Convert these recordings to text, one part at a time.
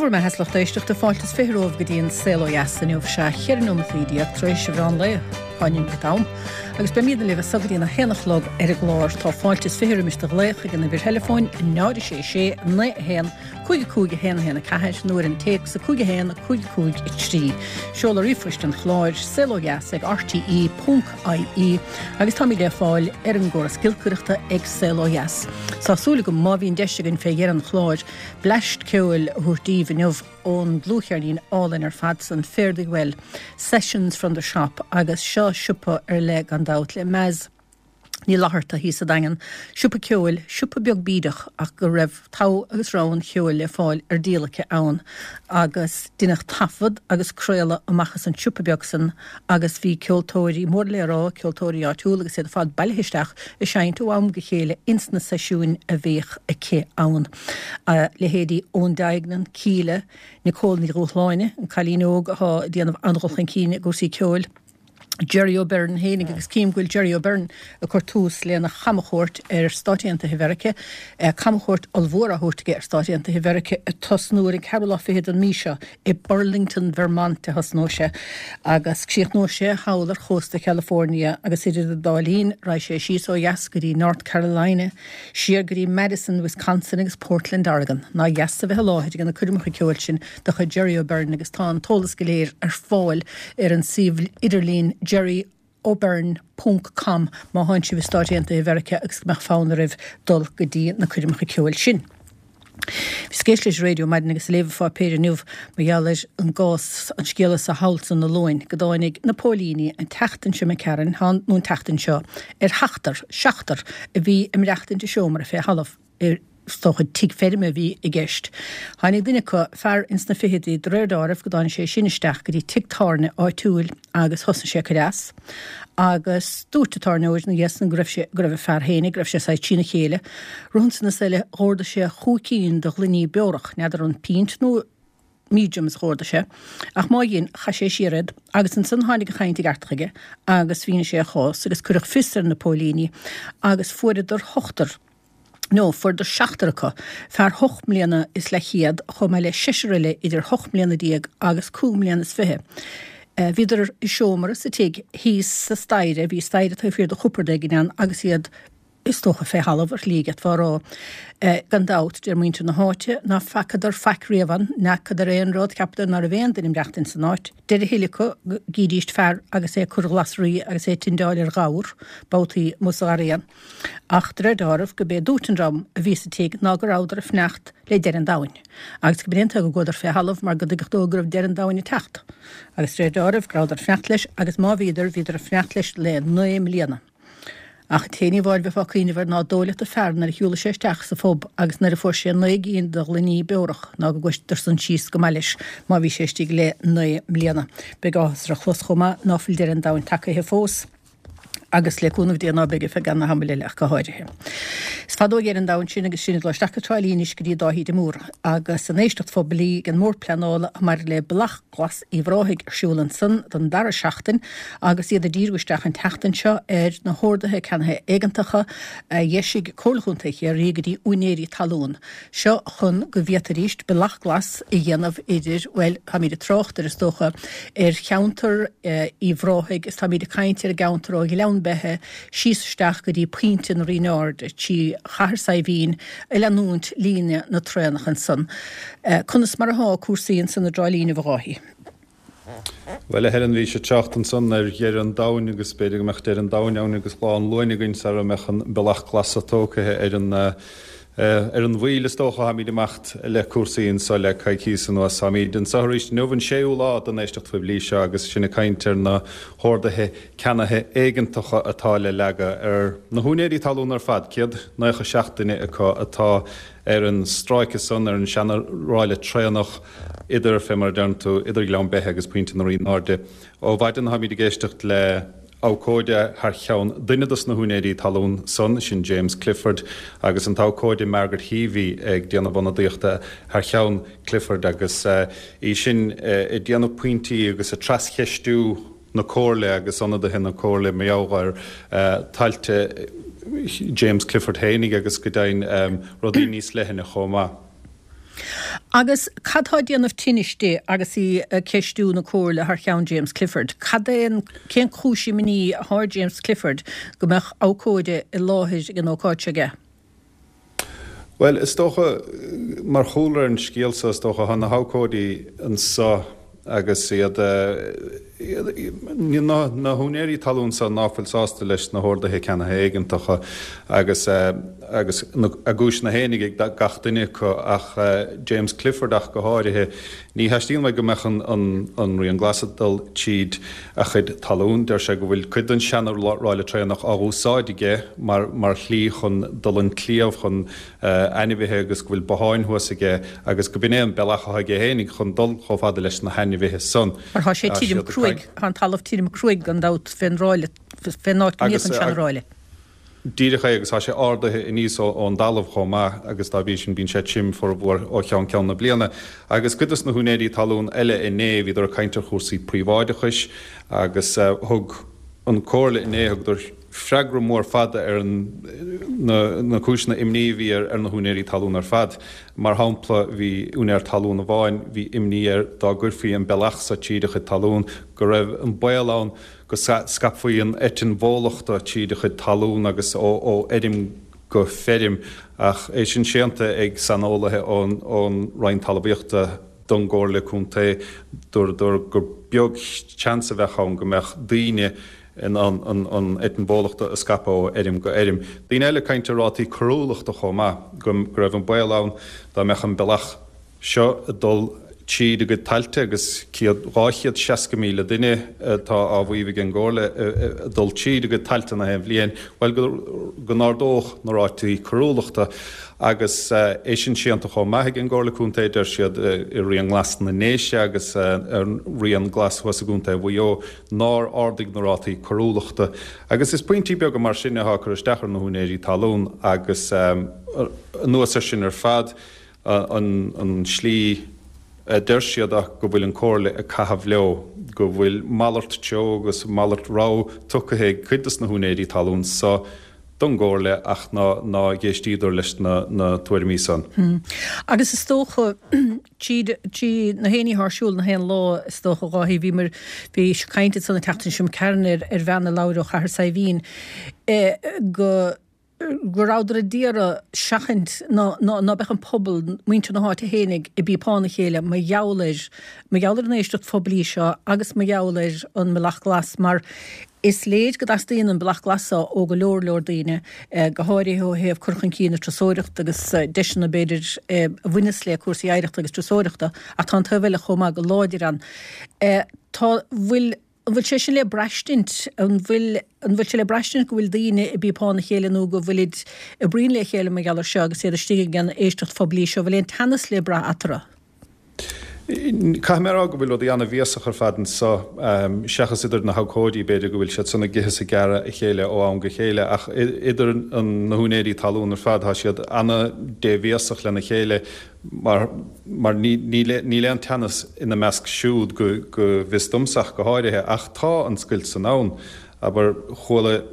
Dé bhur mbeatha a lucht éisteachta, fáilte is 20 romhaibh go dtí an Saol Ó Dheas inniu, sea, 14 nóimeataí tar éis an mheán lae, dhá neomat am, agus beimidne libh as so go dtí an 1 a chlog ar an gclár. Tá fáilte is 20 roimis do ghlaoch ag an uimhir theileafóin 0 6 6 9 1 5 5 1 1 4 nó ar an téacs 5 1 5 5 3. Seoladh ríomhphoist an chláir, saolodheas ag rte ponc ie agus táimid le fáil ar an gcóras giolcaireachta ag Saol Ó Dheas. Tá súil agam, má bhíonn deis againn fé dheireadh an chláir, bleaist ceoil a thabhairt daoibh inniu ón dlúthcheirnín álainn ar fad san, Fare Thee Well, Sessions from the Shop agus seo siopa ar leith gan dabht le Maz Ní Fhlatharta thíos sa Daingean, siopa ceoil, siopa beag bídeach ach go raibh togha agus rogha an cheoil le fáil ar díol aici ann agus deineadh taifead agus craoladh amach as an siopa beag san agus bhí ceoltóirí mór le rá, ceoltóirí áitiúla agus iad ar fad bailithe isteach ag seinnt ó am go chéile ins na seisiúin a bhíodh aici ann. Leithéidí Eoin Duignan, Kíla, Nicole Ní Dhúshláine, an cailín óg atá ag déanamh an-dhul chun cinn i gcúrsaí ceoil, Jerry O'Beirne fhéinig agus cím go bhfuil Jerry O'Beirne ag cur tús lena chamchuairt ar Stáit Aontaithe Mheirice, camchuairt ollmhór á thabhairt aige ar Stáit Aontaithe Mheirice ag tosnú ar an ceathrú lá fichead den mí seo i Burlington, Vermont a thosnóidh sé agus críochnóidh sé thall ar chósta Chalifornia agus idir an dá linn raghaidh sé síos ó dheas go dtí North Carolina, siar go dtí Madison, Wisconsin agus Portland, Oregon. Nár dheas a bheith i láthair ag na coirmeacha ceoil sin de chuid Jerry O'Beirne agus tá an t-eolas go léir ar fáil ar an suíomh idirlín jerryobeirne ponc com má thánn sibh i Stáit Aontaithe Mheiriceá agus go mbeadh fonn oraibh dul go dtí na coirmeacha ceoil sin. Bhíos ag éisteacht leis an raidió maidin agus ag léamh an pháipéir inniu mar gheall ar an gcás, an scéal sa thall san an Luain, go dtáinig na póilíní an tseachtain seo imigh tharainn, nó an tseachtain seo, ar sheachtar, seachtar, a bhí ag maireachtaint i seomra fé thalamh. Is dócha tigh feirme a bhí i gceist. Tháinig duine acu, fear ins na fichidí, de réir deáraimh, go dtáinig sé sin isteach go dtí tigh tábhairne áitiúil agus thosnaigh sé ag cur as. Agus dúirt an tábhairneoir ina dhiaidh san go raibh sé, go raibh an fear féinig, go raibh sé saghas trína chéile. Rud ansan is eile, dh'órdaigh sé chúig cinn de ghloiní beorach, n'fheadar an pint nó mediums a dh'órdaigh sé, ach má dhein, chaith sé siar iad, agus ansan tháinig an chaint i gceart chuige agus mhínigh sé a chás agus cuireadh fios ar na póilíní agus fuaireadar ochtar, nó fuaireadar seachtar acu, fear hocht mbliana is leathchéad chomh maith le seisear eile idir hocht mbliana déag agus cúig mbliana is fiche. Bhíodar i seomra sa tigh thíos sa staighre, bhí staighre taobh thiar de chupard éigin ann agus iad is dócha, fé thalamh ar shlí d'fhéadfá a rá. Gan dabht, deir muintir na háite, ná feacadar faic riamh ann, n'fheacadar aon rud, cheapadar ná raibh aon duine ag maireachtaint san áit. Deir a thuilleadh acu go gcídíst fear agus é ag cur ghlasraí agus é ag tindeáil ar ghabhar, babhtaí amuigh sa gharraí ann. Ach de réir deáraimh, go b'é dúirt an dream a bhí sa tigh ná go rabhadar ag fanacht le deireadh an domhain, agus go b'in é an tuige go gcuadar fé thalamh mar go dtuigeadh dóibh go raibh deireadh an domhain ag teacht. Agus de réir deáraimh, go rabhadar ag fanacht leis, agus má bhíodar, bhíodar ag fanacht leis le naoi mbliana. Ach an t-aon ní amháin bheifeá ag cuimhneamh air ná dóigh leat an fear nuair a shiúlaigh sé isteach sa phub agus nuair a fuair sé naoi gcinn de ghloiní beorach ná go gcuireadar san síos go maith leis má bhí sé istigh le naoi mbliana. Beidh áthas air a chlos chomh maith ná fuil deireadh an domhain tagaithe fós agus le cúnamh Dé ná beidh ar feadh ana-thamaill eile ach go háirithe. Is fada ó dheireadh an domhain sin agus sinn ag dul isteach go Trá Lí anois go dtí Dáithí de Mórdha agus an éisteacht phoiblí den mBord Pleanála maidir le Bealach Glas Uíbh Ráthaigh ar siúl ansan don dara seachtain agus iad ag díriú isteach an tseachtain seo ar na horduithe ceannaithe éigeantacha a d'eisigh Comhairle Chontae Chiarraí go dtí úinéirí talún. Seo chun go bhféadfaidís bealach glas a dhéanamh idir, bhuel, táimid ag trácht ar, is dócha, ar cheantar Uíbh Ráthaigh is táimid ag caint ar an gceantar ó Ghleann Beithe síos isteach go dtí Pointe na Rinne Airde, trí Chathair Saidhbhín, ag leanúint líne na traenach ansan. Conas mar athá cúrsaí ansan i dTrá Lí inniu a Dháithí? Bhuel, a Helen, bhís ag trácht ansan ar dheireadh an domhain agus b'fhéidir go mbeadh deireadh an domhain ann agus lá an Luain againn sara mbeadh an bealach glas tógtha ar an ar an mhoill is dócha. Táimid ag imeacht le cúrsaí anso le coicíos anuas. Táimid anso arís inniu, an séú lá den éisteacht phoiblí seo agus sinn ag caint ar na horduithe ceannaithe éigeantacha atá le leagadh ar na húinéirí talún ar fad, 197 duine acu atá ar an stráice san, ar an seana-ráille traenach idir, fé mar a deireann tú, idir Gleann Beithe agus Pointe na Rinne Airde. Ó mhaidin táimid ag éisteacht le abhcóide thar cheann duine dos na húinéirí talún san, sin James Clifford, agus an t-abhcóide Margaret Heavey ag déanamh ionadaíochta thar cheann Clifford agus í sin ag déanamh pointí agus ag trascheistiú na Comhairle agus ionadaithe na Comhairle mar gheall ar thailte James Clifford fhéinig agus go deimhin rudaí níos leithne chomh maith. Agus cad tá ag déanamh tinnis di agus í ag ceistiú na Comhairle thar cheann James Clifford? Cad é an, cén chúis imní atá ar James Clifford go mbeadh abhcóide i láthair ag an ócáid seo aige? Bhuel, is dócha, mar chúlra ar an scéal seo, is dócha, tá na habhcóidí anso agus iad, na húinéirí talún seo ná fuil sásta leis na horduithe ceannaithe éigeantacha agus, agus a gcúiseanna fhéinig ag gach duine acu ach James Clifford ach go háirithe, ní theastaíonn uaidh go mbeadh an Rian Glas ag dul tríd a chuid talún. Deir sé go bhfuil cuid den seana-ráille traenach á úsáid aige mar mar shlí chun dul an cliabh chun ainmhithe agus go bhfuil botháin thuas aige agus go b'in é an bealach atá aige fhéinig chun dul chomh fada leis na hainmhithe san. Mar tá sé tirim cruaidh, tá an talamh tirim cruaidh gan dabht fén ráille, fén áit go mbíodh an seana-ráille. Díreach é, agus tá sé ardaithe aníos ón dtalamh chomh maith agus dá bhrí sin bíonn sé tirim formhór ó cheann ceann na bliana. Agus cuid dos na húinéirí talún eile inné, bhíodar ag caint ar chúrsaí príobháideachais agus thug an Comhairle inné, thugadar freagra mór fada ar na cúiseanna imní a bhí ar na húinéirí talún ar fad. Mar shampla, bhí úinéir talún amháin, bhí imní air dá gcuirfí an bealach so tríd a chuid talún, go raibh an baol ann go scaipfí an eitinn bhólachta tríd a chuid talún agus ó fheirm go feirm, ach é sin séanta ag saineolaithe ón Roinn Talmhaíochta don gComhairle Contae. Dúradar gur beag seans a bheadh ann go mbeadh daoine in ann an eitinn bhólachta a scaipeadh ó fheirm go fheirm. Daoine eile ag caint ar rátaí coiriúlachta chomh maith, go raibh an baol ann dá mbeadh an bealach seo ag dul tríd a gcuid tailte agus 260,000 duine atá á mhaíomh ag an gComhairle ag dul tríd a gcuid tailte na haon bhliain, bhuel, go n-ardódh na rátaí coiriúlachta. Agus é sin séanta chomh maith ag an gComhairle Contae, deir siad i Rian Glas na nDéise agus an Rian Glas thuas i gContae Mhaigh Eo nár ardaigh na rátaí coiriúlachta. Agus is pointí beaga mar sin atá ag cur isteach ar na húinéirí talún agus anuas air sin ar fad, an tslí a deir siad ach go bhfuil an Comhairle ag caitheamh leo, go bhfuil malairt treo agus malairt rogha tugtha ag cuid dos na húinéirí talún so don gComhairle ach ná dh'éistíodar leis na tuairimí san. Agus is dócha, tríd, trí na héinní atá ar siúl na haon lá, is dócha, a Dháithí, bhíomar, bhí caint ansan an tseachtain seo imigh tharainn ar, ar bhean a labhair ó Chathair Saidhbhín, go, go rabhadar a d'iarraidh seachaint ná ná beadh an pobal, muintir na háite fhéinig, i bpíopán a chéile mar gheall ar, mar gheall ar an éisteacht phoiblí seo agus mar gheall ar an mBealach Glas mar is léir go dteastaíonn an Bealach Glas seo ó go leor leor daoine, go háirithe ó thaobh cur chun cinn na turasóireachta agus deiseanna b'fhéidir a bhaineas le cúrsaí oidhreachta agus turasóireachta ach tá an taobh eile chomh maith go láidir ann. Tá, bhfuil. An bhfuil sé sin le braistint? An bhfuil, an bhfuil sé le braistint go bhfuil daoine i bpíopán a chéile nó go bhfuilid ag bruíon le chéile mar gheall air seo agus iad istigh ag an éisteacht phoiblí seo? An bhfuil aon teannas le brath eatarthu? Caithfidh mé a rá go bhfuil rudaí an-bhéasach ar fad anso, seachas idir na habhcóidí, b'fhéidir go bhfuil siad san ag ithe is ag gearradh a chéile ó am go chéile, ach idir na húinéirí talún ar fad, tá siad an-débhéasach lena chéile. Mar mar níl aon teannas ina measc siúd go bhfios domsa ach go háirithe, ach tá an scoilt san ann. Abair, chuala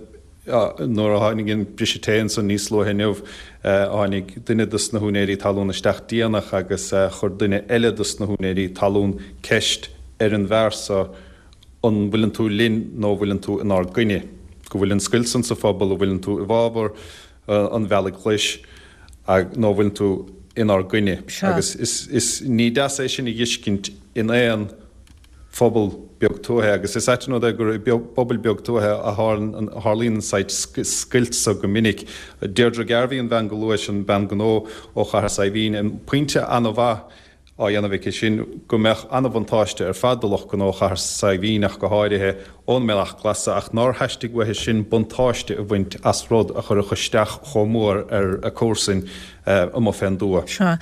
nuair a tháinig an briseadh tae ansan níos luaithe inniu, tháinig duine dos na húinéirí talún isteach déanach agus chuir duine eile dos na húinéirí talún ceist ar an bhfear so an bhfuileann tú linn nó an bhfuileann tú inár gcoinne? Go bhfuil an scoilt san sa phobal, an bhfuileann tú i bhfabhar an Bhealaigh Ghlais nó an bhfuileann tú inár gcoinne? Agus is ní deas é sin a dh'fheiscint in aon phobal beag tuaithe agus is ait an rud é gur i bpobail beag tuaithe a tharlaíonn an saghas scoilt so go minic. Deirdre Garvey, an bhean go luais, an bean gnó ó Chathair Saidhbhín, an pointe an-mhaith á dhéanamh aici sin go mbeadh an-bhuntáiste ar fad do lucht gnó Chathair Saidhbhín ach go háirithe, ón mBealach Glas ach nár theastaigh uaithi sin buntáiste a bhaint as rud a chuirfeadh isteach chomh mór ar a comharsain amuigh fén dtuath. Sea.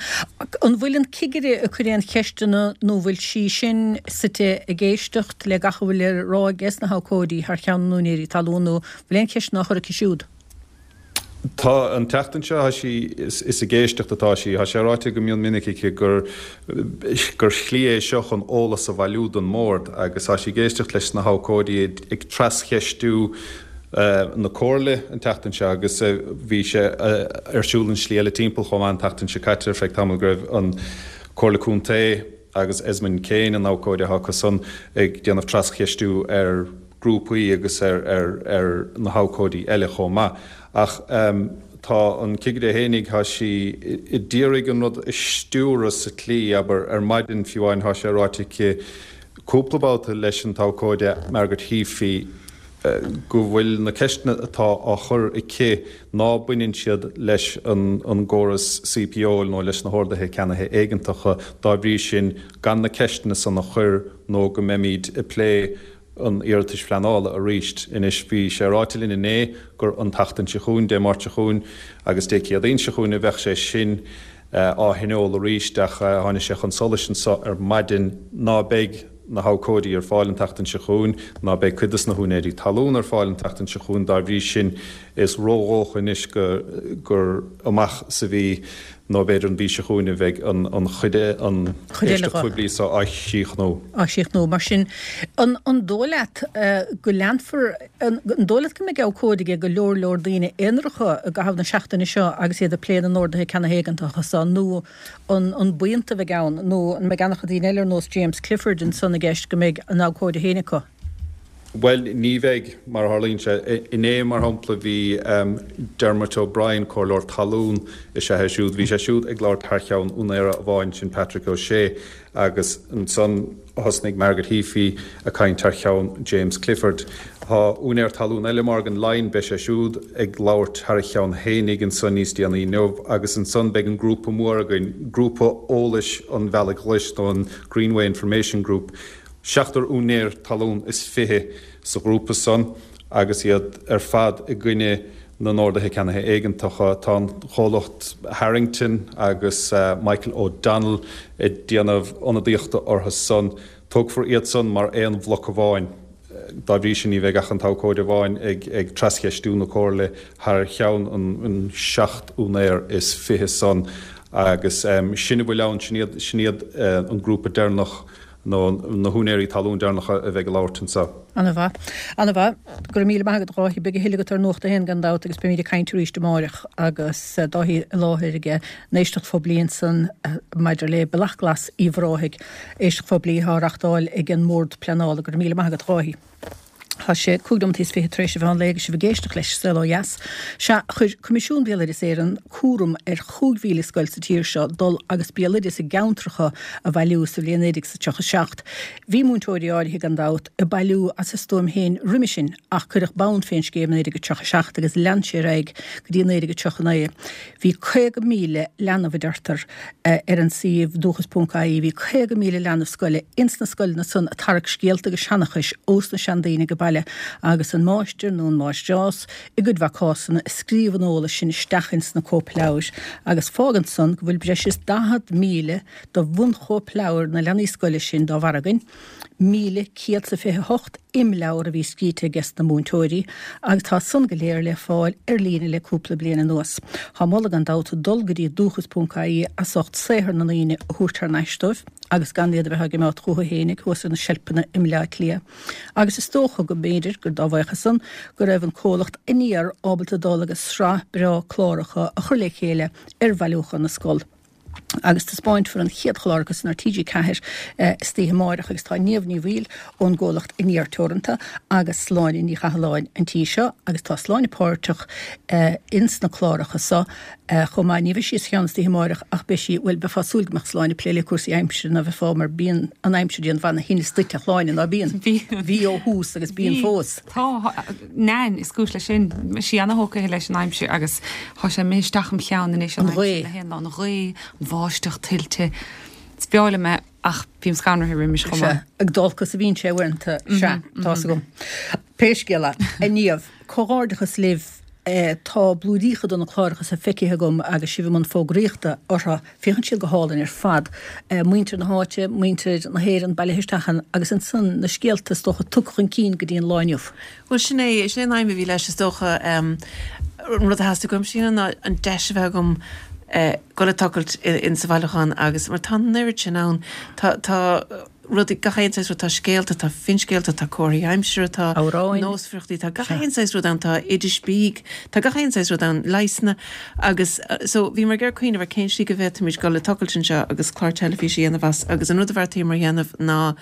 An bhfuil an cigire ag cur aon cheisteanna nó bhfuil sí sin suite ag éisteacht le gach a bhfuil le rá ages na habhcóidí thar cheann na n-úinéirí talún nó bhfuil aon cheisteanna á chur aici siúd? Tá, an tseachtain seo, tá sí, is ag éisteacht atá sí. Tá sé ráite go mion minic aici gur gur shlí é seo chun eolas a bhailiú don mBord agus tá sí ag éisteacht leis na habhcóidí ag trascheistiú na Comhairle an tseachtain seo agus bhí sé ar siúl an slí eile timpeall chomh maith an tseachtain seo caite ar feadh tamaill go raibh an. Comhairle Contae agus Esmond Kane, an abhcóide atá acu san, ag déanamh trascheistiú ar grúpaí agus ar na habhcóidí eile chomh maith. Ach tá an cigire fhéinig, tá sí a d'iarraidh an rud a stiúradh sa tslí, abair, ar maidin fiú amháin, tá sé ráite aici cúpla babhta leis an t-abhcóide Margaret Heaphy go bhfuil na ceisteanna atá á chur aici ná baineann siad leis an gcóras CPO nó leis na horduithe ceannaithe éigeantacha, dá bhrí sin gan na ceisteanna san a chur nó go mbeimid ag plé an iarratais phleanála arís. Anois, bhí sé ráite linn inné gur an tseachtain seo chugainn, Dé Máirt seo chugainn agus Dé Céadaoin seo chugainn a bheadh sé sin á thionól arís ach tháinig sé chun solais anso ar maidin ná beidh na habhcóidí ar fáil an tseachtain seo chugainn, ná beidh cuid dos na húinéirí talún ar fáil an tseachtain seo chugainn. Dá bhrí sin, is ródhócha anois gur amach sa mhí nó b'fhéidir an mhí seo chugainn a bheidh an chuid an éisteacht phoiblí seo á chríochnú. á chríochnú. Mar sin, an dóigh leat go leanfar, an dóigh leat go mbeidh abhcóide ag go leor leor daoine aonaracha i gcaitheamh na seachtaine seo agus iad ag plé na n-orduithe ceannaithe éigeantacha seo nó an buíonta a bheidh ann nó an mbeidh an-chuid daoine eile ar nós James Clifford ansan i gceist go mbeidh a n-abhcóide féin acu? Bhuel, ní bheidh, mar a tharlaíonn sé. Inné, mar shampla, bhí Dermot O'Brien, comhairleoir talún is ea é siúd, bhí sé siúd ag labhairt thar cheann úinéara amháin, sin Patrick O'Shea, agus ansan thosnaigh Margaret Heaphy ag caint thar cheann James Clifford. Tá úinéir talún eile, Morgan Lyon, beidh sé siúd ag labhairt thar a cheann fhéinig ansan níos déanaí inniu, agus ansan beidh an grúpa mór againn, Grúpa Eolais an Bhealaigh Ghlais, nó an Greenway Information Group. Seachtar úinéir talún is 20 sa ghrúpa san agus iad ar fad i gcoinne na n-orduithe ceannaithe éigeantacha. Tá an chomhlacht Harrington agus Michael O'Donnell ag déanamh ionadaíochta orthu san. Tógfar iad san mar aon bhloc amháin. Dá bhrí sin ní bheidh ach an t-abhcóide amháin ag trascheistiú na Comhairle thar cheann an 7 úinéir is 20 san agus sin a bhfuil ann, sin iad an grúpa deireanach. nó na húinéirí talún deireanacha a bheidh ag labhairt anseo. Ana-mhaith. Ana-mhaith. Go raibh míle maith agat, a Dháithí. Beidh a thuilleadh agat ar Nuacht a hAon gan dabht agus beimid ag caint arís amáireach agus Dáithí i láthair ag an éisteacht phoiblí ansan maidir le Bealach Glas Uíbh Ráthaigh. Éisteacht phoiblí atá á reachtáil ag an mBord Pleanála. Go raibh míle maith agat, a Dháithí. Tá sé 25 nóimeataí tar éis an mheán lae agus sibh ag éisteacht leis Saol Ó Dheas. Sea, chuir Coimisiún Béaloideas Éireann cúram ar 5,000 scoil sa tír seo dul agus béaloideas a gceantracha a bhailiú sa bhliain 1937. Bhí múinteoirí áirithe, gan dabht, ag bailiú as a stuaim féin roimhe sin ach cuireadh bonn fén scéim i 1937 agus lean sé ar aghaidh go dtí 1939. Bhí 50,000 leanbh, a deirtear, ar an suíomh dúchas.ie, bhí 50,000 leanbh scoile ins na scoileanna san ag tarrac scéalta agus seanchais ós na seandaoine age baile agus an máistir nó an máistreás i gcuid mhaith cásanna ag scríobh an eolais sin isteach ins na cóipleabhair agus fágann san go bhfuil breis is 40,000 de bhunchóipleabhair na leanaí scoile sin dá bharr againn. 1,128 imleabhar a bhí scríte ages na múinteoirí agus tá san go léir le fáil ar líne le cúpla bliain anuas. Tá moladh gan dabht dul go dtí dúchas.ie as ucht saothar na ndaoine a thabhairt thar n-ais dóibh agus gan iad a bheith á gcimeád chucu fhéinig thuas ar na seilpeanna i mBleá Cliath. Agus is dócha go mb'fhéidir gur dá bhuíochas san go raibh an comhlacht Aniar ábalta dul agus sraith breá cláracha a chur le chéile ar bhailiúchán na scol. agus taispeáinfear an chéad chlár acu san ar TG4 istoíche amáireach agus tá Niamh Ní Bhaoill ón gcomhlacht Aniar Teoranta agus Sláine Ní Chathalláin an tí seo agus tá Sláine páirteach ins na cláracha seo chomh maith. Ní bheidh sí sa cheann istoíche amáireach ach beidh sí, bhuel beifeá ag súil go mbeadh Sláine ag plé le cúrsaí aimsire ná bheifeá mar bíonn an aimsir ag déanamh ana-thinneas duit a Shláine ná bíonn? Bhí ó thús agus bíonn fós. Tá. Nain is cúis leis sin. Sí ana-thógtha leis an aimsir agus tá sé imithe isteach im cheann anois an aimsir gach aon lá, an ghaoth, an bháisteach, tuilte. Is breá liom é ach bím scanraithe roimis chomh maith. Sea, ag dualgas a bhíonn sé uaireanta, sea, tá's agam. Pé scéal é, a Niamh, comhghairdeachas libh, tá blúiríocha de na cláracha seo feicthe agam agus sibh i mbun fógraíochta orthu. Féachann siad go hálainn ar fad. Muintir na háite, muintir na hÉireann bailithe isteach ann agus ansan na scéalta is dócha tugtha chun cinn go dtí an lá inniu. Bhuel sin é, sin é an aidhm a bhí leis is dócha. An rud a theastaigh uaimse a dhéanamh ná an deis a bheith agam dul ag tochailt in sa bhailiúchán agus mar tá an oiread sin ann. Tá, tá. rudaí, gach aon saghas rud, tá scéalta, tá finscéalta, tá comharthaí aimsire, tá Amhráin. nósmhaireachtaí, tá gach aon saghas rud ann, tá oidis bídh, tá gach aon saghas rud ann, leigheasanna agus so bhíomar ag iarraidh cuimhneamh ar cén slí go bhféadfaimis dul ag tochailt anseo agus clár teilifíse a dhéanamh as agus an rud a bheartaíomar a dhéanamh ná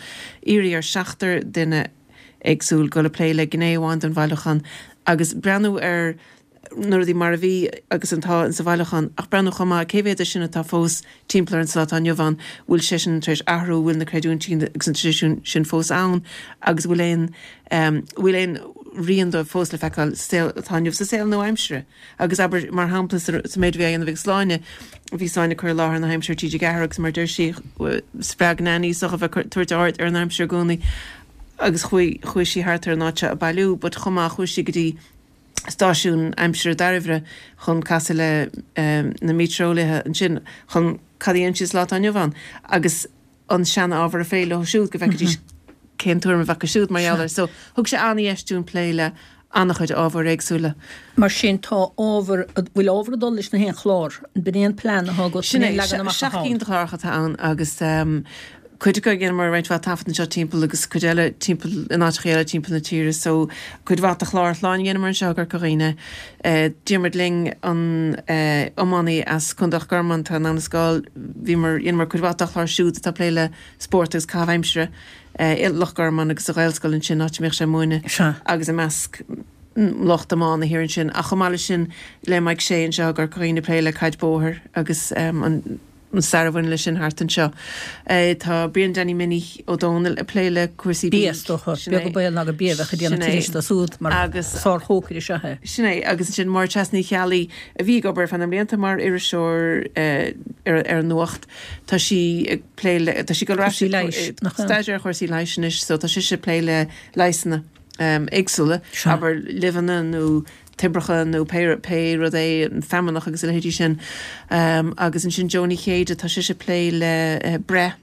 iarraidh ar seachtar duine éagsúil dul ag plé le gné amháin den bhailiúchán agus breathnú ar na rudaí mar a bhí agus atá insa bhailiúchán, ach breathnú chomh maith cé mhéad de sin atá fós timpeall orainn sa lá atá inniu ann, bhfuil sé sin tar éis athrú, bhfuil na creidiúintí agus na traidisiúin sin fós ann agus bhfuil aon, bhfuil aon rian dóibh fós le feiceáil sa saol atá inniu, sa saol nua-aimsire. Agus abair, mar shampla, sa méid a bhí á dhéanamh ag Sláine, bhí Sláine ag cur i láthair na haimsire ar TG4 agus mar a deir sí, spreag Nan í is dócha a bheith ag tabhairt aird ar an aimsir i gcónaí agus chuaigh, chuaigh sí thart ar an áit seo ag bailiú but chomh maith chuaigh sí go dtí stáisiún aimsire Dairbhre chun casadh le na meitéareolaithe ansin chun cad a dhéanann siad sa lá atá inniu ann agus an sean-ábhar a phlé leo siúd go bhfeicfidís cén tuairim a bheadh acu siúd mar gheall air. So thug sé an-dheis dúinn plé le an-chuid ábhair éagsúla. Mar sin tá ábhar, bhfuil ábhar ag dul leis na haon chlár? B'in é an plean atá agat, Sin é, 7 gcinn de chláracha atá ann agus Cuid acu dheineamar roinnt mhaith taifead anseo timpeall agus cuid eile timpeall in áiteacha eile timpeall na tíre so cuid mhaith de chlár Shláine dheineamar anseo i gCorca Dhuibhne. Diarmuid Lyng an iománaí as Contae Loch Garman atá in Abha na Scáil bhíomar dheineamar cuid mhaith dá chlár siúd atá ag plé le spórt agus caitheamh aimsire i Loch Garman agus sa Ghaelscoil ansin áit a mbíodh sé ag múineadh agus i measc lucht iomána thiar ansin ach chomh maith leis sin le Mike Shea anseo i gCorca Dhuibhne ag plé le caid bóthair agus an an stair a bhaineann leis sin thart anseo. Tá Brian Danny Minnie Ó Dónaill ag plé le cúrsaí bídh. Bia, is dócha. Beag an baol ná gur bia a bheadh ag déanamh turais dó siúd mar sárchócaire is ea é. Sin é. Agus ansin Máire Treasa Ní Cheallaigh a bhí ag obair ar feadh na mblianta mar iriseoir ar an Nuacht. Tá sí ag plé le, tá sí ag dul ar ais ag staidéar ar chúrsaí leighis anois so tá sise ag plé le leigheasanna éagsúla, abair luibheanna nó toibreacha nó pé pé rud é, an feamnach agus a leithéidí sin. Agus ansin Jó Ní Chéide, tá sise ag plé le breith.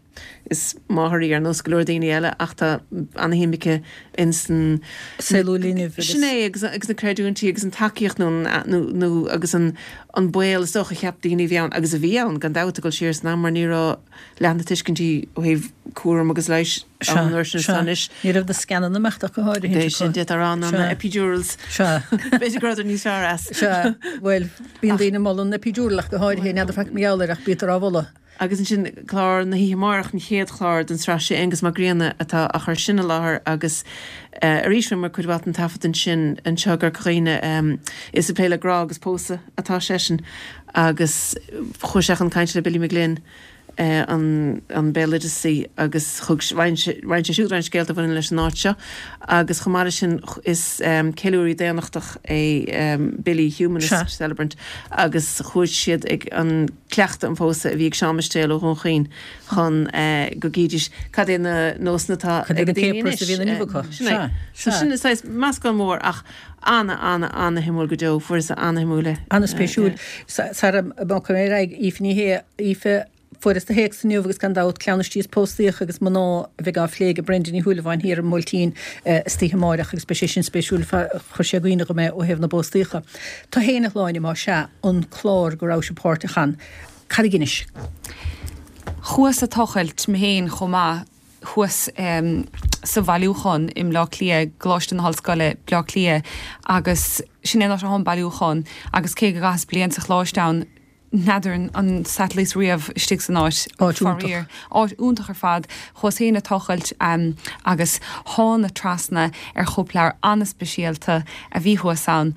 Is máthair í ar nós go leor daoine eile ach tá ana-shuim aici ins an. Saol linbh agus. Sin é, agus agus na creidiúintí agus an tacaíocht nó nó nó agus an an baol is dócha a cheap daoine a bhí ann agus a bhí ann gan dabht ag dul siar san am mar ní raibh leath na tuiscintí ó thaobh cúram agus leighis ann an uair sin is atá anois. Ní raibh na scananna imeacht ach go háirithe. B'é sin, d'fhéadfá a rá ná na epidurals. Sea. B'fhéidir go rabhadar níos fearr as. Sea. Bhuel, bíonn daoine ag moladh an epidural ach go háirithe, n'fheadar faic mar gheall air ach bítear á mholadh. Agus ansin clár na hoíche amárach, an chéad chlár den tsraith, sé Aengus Mac Grianna atá á chur sin i láthair agus arís rinneamar cuid mhaith den taifead ansin anseo i gCorca Dhuibhne. Is ag plé le grá agus pósadh atá seisean agus chuaigh sé chun cainte le Billy McGlynn, an béaloideasaí, agus thug, roinn sé siúd roinnt scéalta a bhaineann leis an áit seo agus chomh maith leis sin is ceiliúraí daonnachtach é Billy, humanist celebrant, agus chuaigh siad ag an cleachtadh an phósadh a bhí ag Seán Mistéal ó Dhún Chaoin chun go gcídís cad é na nósanna atá ag daoine anois. Sin é. So sin saghas meascán mór ach Ana, ana, ana shuimiúil go deo. Fuaireas ana shuimiúil é. Ana spéisiúil. Sara mbogfaidh mé ar aghaidh, Aoife Ní Shé, Aoife, fuaireas do théacs inniu agus gan dabht, cleamhnaistí is póstaíocha agus mná a bheidh á phlé ag Brenda Ní Shúilleabháin thiar ar an mBuailtín istoíche amáireach agus beidh sé sin spéisiúil, chuir sé i gcuimhne dhom é ó thaobh na bpóstaíocha. Tú fhéin a Shláine, más ea, an clár go rabhais páirteach ann, cad a dh'inis? Chuas ag tochailt mé féin chomh maith. thuas sa bhailiúchán i mBleá Cliath, i gColáiste na hOllscoile, Bleá Cliath, agus sin é an áit atá an bailiúchán agus cé go gcaitheas bliain sa choláiste ann, n'fheadar an satailís riamh istigh san áit. Áit iontach. Áit iontach ar fad. Chuas féin ag tochailt agus thána trasna ar chóipleabhar an-speisialta a bhí thuas ann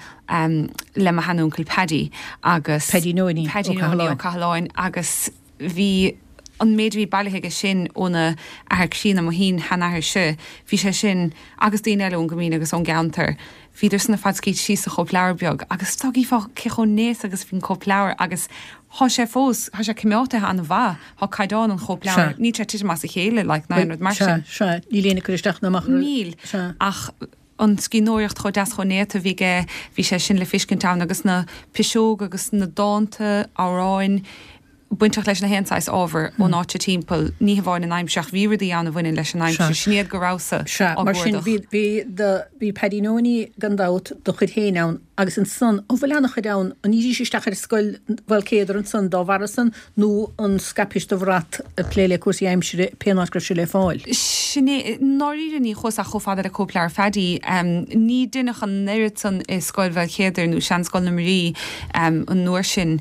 le mo sheanúncail Paddy agus. Paddy Nonie Ó Cathaláin agus bhí an méid a bhí bailithe aige sin óna athair críonna, mo shin-sheanathairse, bhí sé sin agus daoine eile ón gCoimín agus ón gceantar, bhíodar san ar fad scaoilte síos sa chóipleabhar beag agus dá gcífeá cé chomh néata agus a bhí an cóipleabhar agus thá sé fós, thá sé coimeátaithe an-mhaith, thá caighdeán an chóipleabhair, níl sé ag titim as a chéile like ná aon rud mar sin. Sea, sea, níl éinne ag cur isteach ná amach ar. Níl, ach an scríbhneoireacht chomh deas chomh néata a bhí aige, bhí sé sin le feiscint ann agus na piseoga agus na dánta, amhráin. bainteach leis na haon saghas ábhar ón áit sa timpeall, ní hamháin an aimsir ach bhí rudaí ann a bhaineann leis an aimsir, sin iad go rabhas-sa Sea, á mar sin gcuardach. bhí, bhí do, bhí Paddy Nonie gan dabht, do chuid féin ann agus ansan, an bhfuil ana-chuid ann, an ndírís isteach ar scoil Mhaolcéadair ansan dá bharra san nó an scaipis do bhrat ag plé le cúrsaí aimsire pén áit go raibh sé le fáil? Sin é, i ndáiríre ní chuas ach chomh fada le cóipleabhar Phaddy. Ní deineadh an oiread san i Scoil Mhaolchéadair nó Seanscoil na Muirí an uair sin.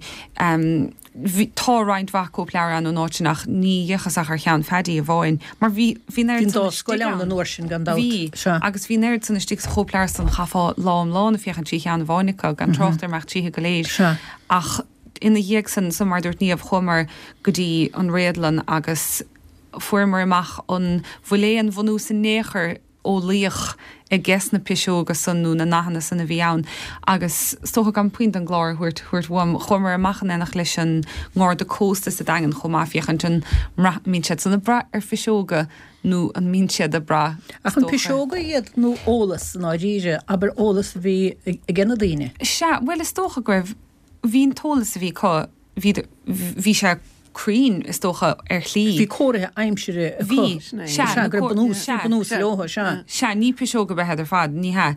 Bhí, tá roinnt mhaith cóipleabhar ann ón áit sin ach ní dheachas ach ar cheann Phaddy amháin mar bhí, bhí an oiread Bhí an san dá istigh scoil ann ann. an uair sin gan dabht. Bhí, Sea. agus bhí an oiread san istigh sa chóipleabhar san chaithfeá lá iomlán ag féachaint trí cheann amháin acu, gan trácht ar imeacht tríothu go léir. Sea. Ach ina dhiaidh san, so mar a dúirt Niamh, chuamar go dtí an réadlann agus fuaireamar amach an bhfuil aon bhunús in aon chor eolaíoch aiges na piseoga san nó na nathanna san a bhí ann agus is dócha gan puinn den gclár a thabhairt thabhairt uaim, chuamar amach in éineacht leis an nGarda Cósta sa Daingean chomh maith féachaint an mbraith mbíonn siad san ag brath ar phiseoga nó an mbíonn siad ag brath, is Ach an dócha. piseoga iad nó eolas i ndáiríre, abair eolas a bhí aige na daoine? Sea, bhuel is dócha go raibh, bhí an t-eolas a bhí acu, bhí, bhí sé cruinn, is dócha, ar shlí. Bhí comharthaí aimsire acu. Bhí, sea, Sea, go raibh bunús, bhí bunús leo, sea. Sea, ní piseoga ab ea iad ar fad, ní hea.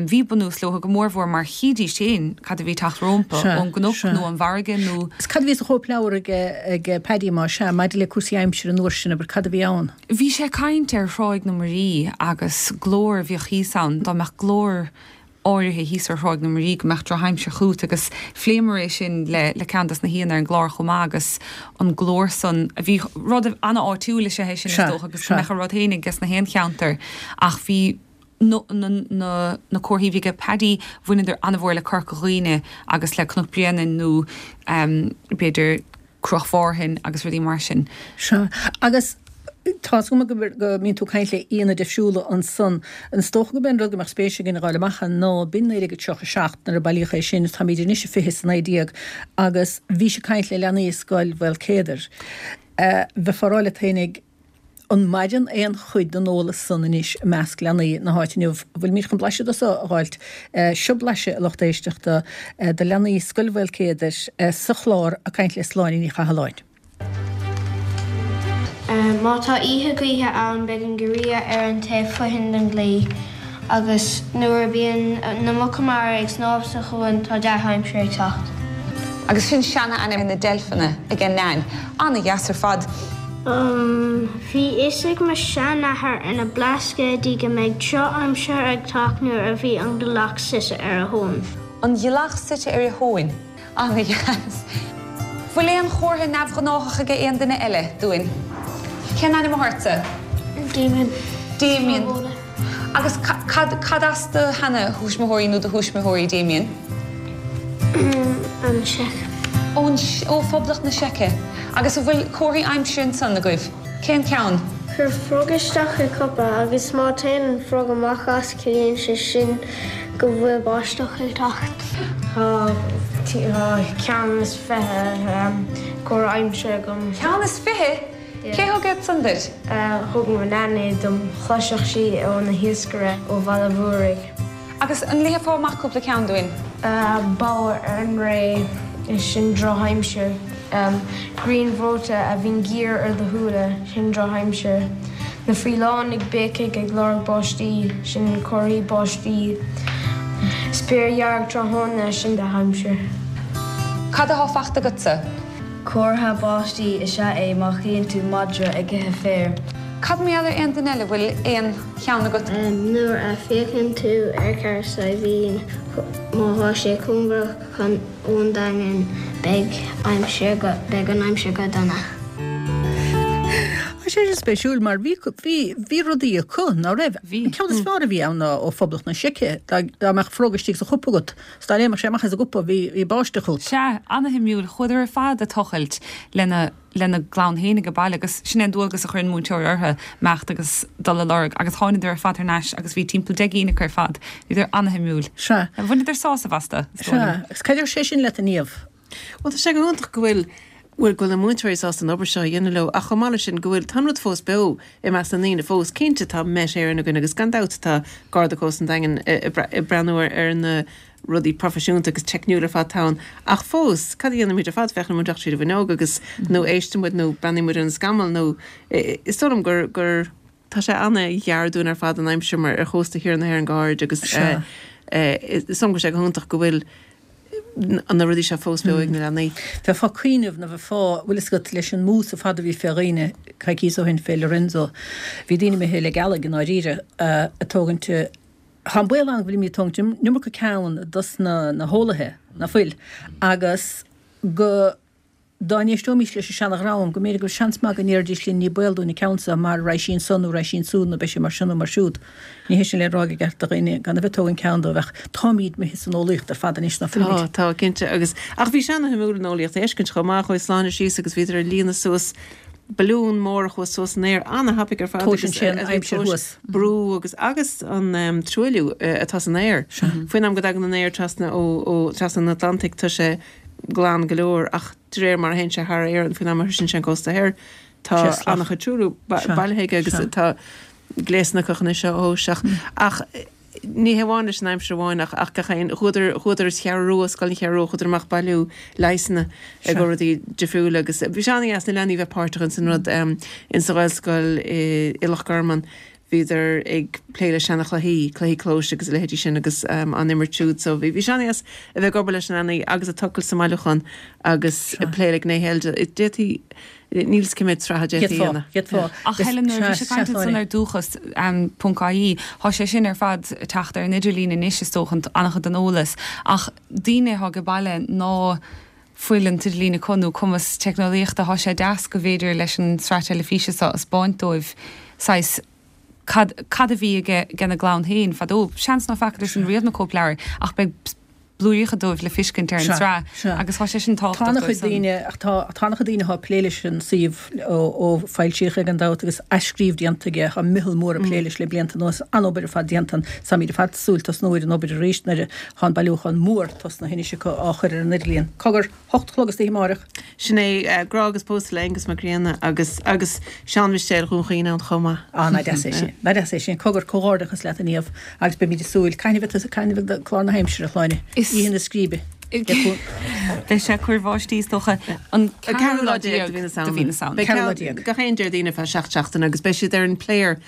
Bhí bunús leo go mórmhór mar chídís féin cad a bhí ag teacht rómpa, ón gcnoc nó ón bhfarraige nó. Is cad a bhí sa chóipleabhar ag, ag Paddy má sea, maidir le cúrsaí aimsire an uair sin, abair, cad a bhí ann? Bhí sé ag caint ar Thráigh na Muirí agus glór a bhíodh thíos ann, dá mbeadh glór áirithe thíos ar Thráigh na Muirí go mbeadh drochaimsir chugat agus phléamar é sin le le ceann dos na haíonna ar an gclár chomh maith agus an glór san a bhí, rud ana-áitiúil is ea é sin is dócha agus go mbeadh a rud féin ages na haon cheantar ach bhí na na na na comharthaí a bhí aige Paddy bhaineadar ana-mhór le Corca Dhuibhne agus le Cnoc Bréanainn nó b'fhéidir Cruach Mhárthain agus rudaí mar sin. Sea. Agus tá's agam go mbíonn tú ag caint le aíonna difriúla ansan. Is dócha gurb é an rud go mbeadh spéis againn a dh'fháil amach ná, b'in 1937 nuair a bailíodh é sin, táimid anois i 2019 agus bhís ag caint le leanaí i Scoil Mhaolcéadair. Bheifeá ag rá leat fhéinig, An maireann aon chuid den eolas san anois i measc leanaí na háite inniu? An bhfuilimid chun blaiseadh de so a dh'fháilt? Seo blaiseadh, a lucht éisteachta, de leanaí Scoil Mhaolcéadair sa chlár Ag Caint le Sláine Ní Chathalláin. Má tá oíche gaoithe ann beidh an giorria ar an taobh fothoinn den gclaí agus nuair a bíonn na muca mara ag snámh sa chuan tá dea-aimsir ag teacht. Agus sin seana-ainm ar na deilfeanna ag Nain. Ana-dheas ar fad. Bhí fhios ag mo sheanathair ar na Blascaodaí go mbeidh droch-aimsir ag teacht nuair a bhí an ghealach suite ar a thóin. An ghealach suite ar a thóin. Ana-dheas. Bhfuil aon chomhartha neamhghnáthach aige aon duine eile dúinn? Cén ainm atá ortsa? Damien. Damien. Agus cad, cad as do sheana-thuismitheoirí nó do thuismitheoirí, Damien? An tSeic. Ón, ó Phoblacht na Seice. Agus an bhfuil comharthaí aimsire ansan agaibh? Cén ceann? Cuir frog isteach i cupa agus má téann an frog amach as ciallaíonn sé sin go bhfuil báisteach ag teacht. Tá ceann is 20 comhartha aimsire agam. Ceann is 20? Cé thug iad san duit? Thug mo Nan iad dom. Chloisfeadh sí óna hiascaire ó Bhaile Mhúraigh. Agus an léifeá amach cúpla ceann dúinn? Bodhar ar an ré, sin drochaimsir. Grian bhreoite a bhíonn géar ar do shúile, sin drochaimsir. Na faoileáin ag béicigh ag lorg báistí, sin comharthaí báistí. Spéir dhearg tráthnóna, sin dea-aimsir. Cad atá fachta agatsa? Comhartha báistí is ea é má chíonn tú madra ag ithe féir. Cad mar gheall ar aon duine eile, bhfuil aon cheann agat? Nuair a féachann tú ar Charraig Saidhbhín, má thá sé cóngarach chun ón Daingean, beidh aimsir go, beidh an aimsir go dona. Tá sé sin spéisiúil mar bhí, bhí, bhí rudaí acu, ná raibh? Bhí. An ceann is fearr a bhí ann ná ó Phoblacht na Seice, dá, dá mbeadh frog istigh sa chupa agat, 's dá léimfeadh sé amach as an gcupa, bhí, bhí báisteach chugat. Sea, ana-shuimiúil. Chuadar ar fad ag tochailt lena. lena gclann féin age baile agus sin é an dualgas a chuir an múinteoir orthu, imeacht agus dul a lorg agus tháinadar ar fad thar n-ais agus bhí timpeall 10 gcinn acu ar fad. Bhíodar ana-shuimiúil. Sea. Bhaineadar sásamh astu, is dóigh liom. Sea. Agus cad a deir sé sin leat, a Niamh? Bhuel, tá sé go hiontach go bhfuil. Bhuel, go bhfuil na múinteoirí sásta an obair seo a dhéanamh leo, ach chomh maith leis sin, go bhfuil, tá an rud fós beo i measc na ndaoine fós. Cinnte, tá Met Éireann againn agus gan dabht tá Garda Cósta an Daingin ag breathnú ar na rudaí proifisiúnta agus teicniúil ar fad atá ann, ach fós, cad a dhéanann muid ar fad? Féachann muid amach tríd an bhfuinneog agus, nó éisteann muid nó breathnaíonn muid ar an scamall nó, is dóigh liom gur, gur, tá sé an-ghearr dúinn ar fad an aimsir mar ar chósta thiar na hÉireann go háirid agus is dóigh liom go bhfuil sé go hiontach go bhfuil na rudaí seo fós beo ag na leanaí. Bheifeá ag cuimhneamh nó bheifeá, bhfuil fhios agat, leis an mús ar fad a bhí fé dhaoine coicíos ó shin fé Lorenzo, bhí daoine imithe le gealaigh i ndáiríre, ag tógaint, tá an baol ann go bhfuilimid ag tógaint an iomarca ceann dos na heolaithe, ná fuil, agus go. Dá n-éisteoimís leis an seana-dhream, go mb'fhéidir go bhfuil seans maith go ndéarfaidís linn ní baol dúinn an ceann seo mar raghaidh sí anso nó raghaidh sí ansúd nó beidh sé mar seo nó mar siúd. Ní hé sin le rá gur ceart do dhaoine gan a bheith ag tógaint ceann dóibh ach táimíd imithe san eolaíocht ar fad anois, ná fuilimid? Tá, tá, cinnte. Agus, ach bhí sé ana-shuimiúil an eolaíocht a fheiscint chomh maith, chuaigh Sláine síos agus bhíodar ag líonadh suas balún mór a chuaigh suas san aer ana-thapaidh ar fad agus Tomhaiseann sé an aimsir thuas. brú agus agus an truailliú atá san aer. Faoin am go dtagann an aer trasna ó ó trasna an Atlantaigh tá sé glan go leor ach de réir mar a théann sé thar Éirinn faoin am a shroiseann sé an cósta thoir tá an-chuid truailliú bailithe aige agus tá gléasanna acu chun é seo a thomhas ach ach ní hé amháin leis an aimsir amháin ach ach gach aon chuadar chuadar sa Cheathrú Rua, Scoil an Cheathrú Rua chuadar amach bailiú leigheasanna i gcomhair rudaí difriúla agus bhí sé an-dheas na leanaí bheith páirteach ins an rud ins an Ghaelscoil i i Loch Garman. Bhíodar ag plé le seana-chluichí, cluichí clóis agus a leithéidí sin agus á n-imirt siúd. So bhí sé an-dheas a bheith ag obair leis na leanaí agus ag tochailt sa mbailiúchán agus ag plé le gnéithe eile de. D'fhéadfaí, níl 'fhios cé mhéad sraith a d'fhéadfaí a dhéanamh. D'fhéadfá. Ach Helen, nuair a bhí sé ag caint ansan ar dúchas ponc ie, thá sé sin ar fad ag teacht ar an idirlíon anois is dócha, an-chuid den eolas, ach daoine athá age baile ná fuil an t-idirlíon acu nó cumas teicneolaíochta, thá sé deas go bhféidir leis an sraith teilifíse seo a 'speáint dóibh saghas cad, cad a bhí aige, ag na gclann féin fadó. Seans ná feacadarsan riamh na cóipleabhair ach beidh blúiríocha dóibh le fiscint ar an tsraith agus thá sé sin Tá tábhachtach an-chuid dóibh san. daoine, ach tá, tá an-chuid daoine athá ag plé leis an suíomh ó, ó foilsíodh é gan dabht agus athscríobh déanta aige, tá meitheal mór ag plé leis le blianta anuas, an-obair ar fad déanta ann, táimid ar fad ag súil tosnú ar an obair arís nuair a Tá an bailiúchán mór tosnaithe anois acu á chur ar an idirlíon. Cogar, hocht a chlog istoíche amáireach. Sin é, Grá agus Pósadh le Aengus Mac Grianna agus, agus Seán Mistéil Dhún Chaoin ann chomh maith. Á, nach deas é sin. Nach deas é sin. Cogar, comhghairdeachas leat a Niamh agus beimid ag súil. Cathain a bheidh, cathain a bheidh clár na haimsire, a Shláine? Oíche na Scríbe. Beidh sé ag cur báistí is dócha an ceathrú lá déag de mhí na Samhna. Beidh ceathrú lá déag. Gach aon Déardaoin ar feadh seacht seachtaine agus beidh siad ar an player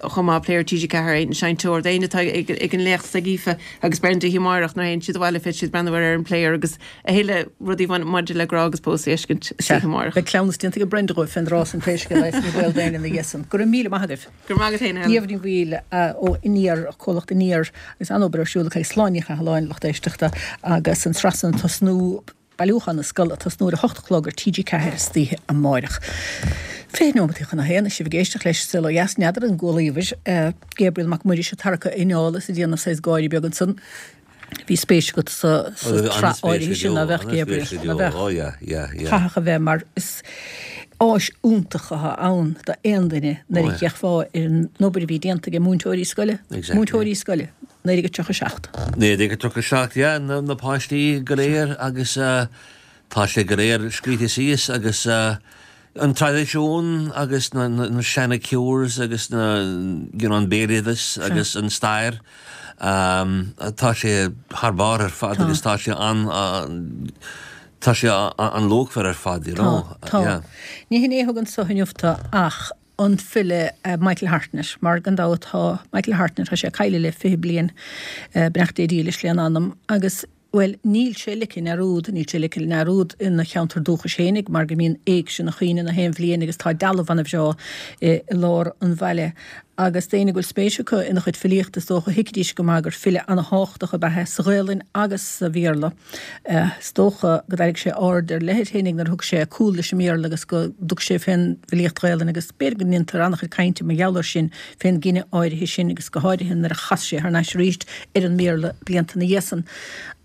chomh maith, player TG4, an seinnteoir, d'éinne atá ag an léacht ag Aoife agus Brenda oíche amárach nuair a théann siad abhaile féadfaidh siad breathnú air ar an player agus a thuilleadh rudaí maidir le grá agus pósadh a fheiscint Sea, oíche amárach. beidh cleamhnas déanta ag Brenda dhóibh fén dtráth san pé scéal é is ní baol d'éinne ina dhiaidh san. Go raibh míle maith agaibh. Go raibh maith agat féin, a Helen. Niamh Ní Bhaoill ó Aniar, comhlacht Aniar, agus an-obair ar siúl acu ag Sláine Ní Chathalláin, lucht éisteachta, agus an tsraith san ag tosnú. Bailiúchán na Scol ag tosnú ar a hocht a chlog ar TG4 istoíche amáireach. 20 nóimeataí chun a haon, is sibh ag éisteacht leis Saol Ó Dheas, n'fheadar an gcualaíobhair Gabriel Mac Muiris ag tarracadh a inneall is ag déanamh saghas gáirí beag ansan. Bhí spéis agat sa tsraith áirithe sin, ná bheadh, Gabriel? Ná bheadh? Chaithfeadh a bheith mar is áis iontach atá ann d'aon duine nuair a d'fhéachfá ar an obair a bhí déanta ag múinteoirí scoile. Múinteoirí scoile. 1937. 1937, yeah, na páistí go léir agus tá sé go léir scríte síos agus an traidisiún agus na seana cures agus na, you know, an béaloideas agus an stair, tá sé thar barr ar fad agus tá sé an, tá sé an-luachmhar ar fad, you know, Tá, tá. Ní hin é a thug anso inniu tú ach an file Michael Hartnett, mar gan dabht tá Michael Hartnett, tá sé caillte le 20 bliain, beannacht Dé dílis lena anam, agus, bhuel, níl sé ligthe i ndearúd, níl sé ligthe i ndearúd ina cheantar dúchais fhéinig mar go mbíonn éigse ina chuimhne na haon bhliain agus tá dealbh ana-bhreá i lár an bhaile. Agus d'éinne go bhfuil spéis acu ina chuid filíochta is dócha thuigfidís go maith gur file ana-thábhachtach ab ea é sa Ghaelainn agus sa Bhéarla. Is dócha go dtarraing sé aird ar leith air féinig nuair a thug sé cúl leis an mBéarla agus go dtug sé fén bhfilíocht Ghaelainn agus b'fhéidir go ndéantar an-chuid cainte mar gheall air sin fén gcinneadh áirithe sin agus go háirithe nuair a chas sé thar n-ais arís ar an mBéarla blianta ina dhiaidh san.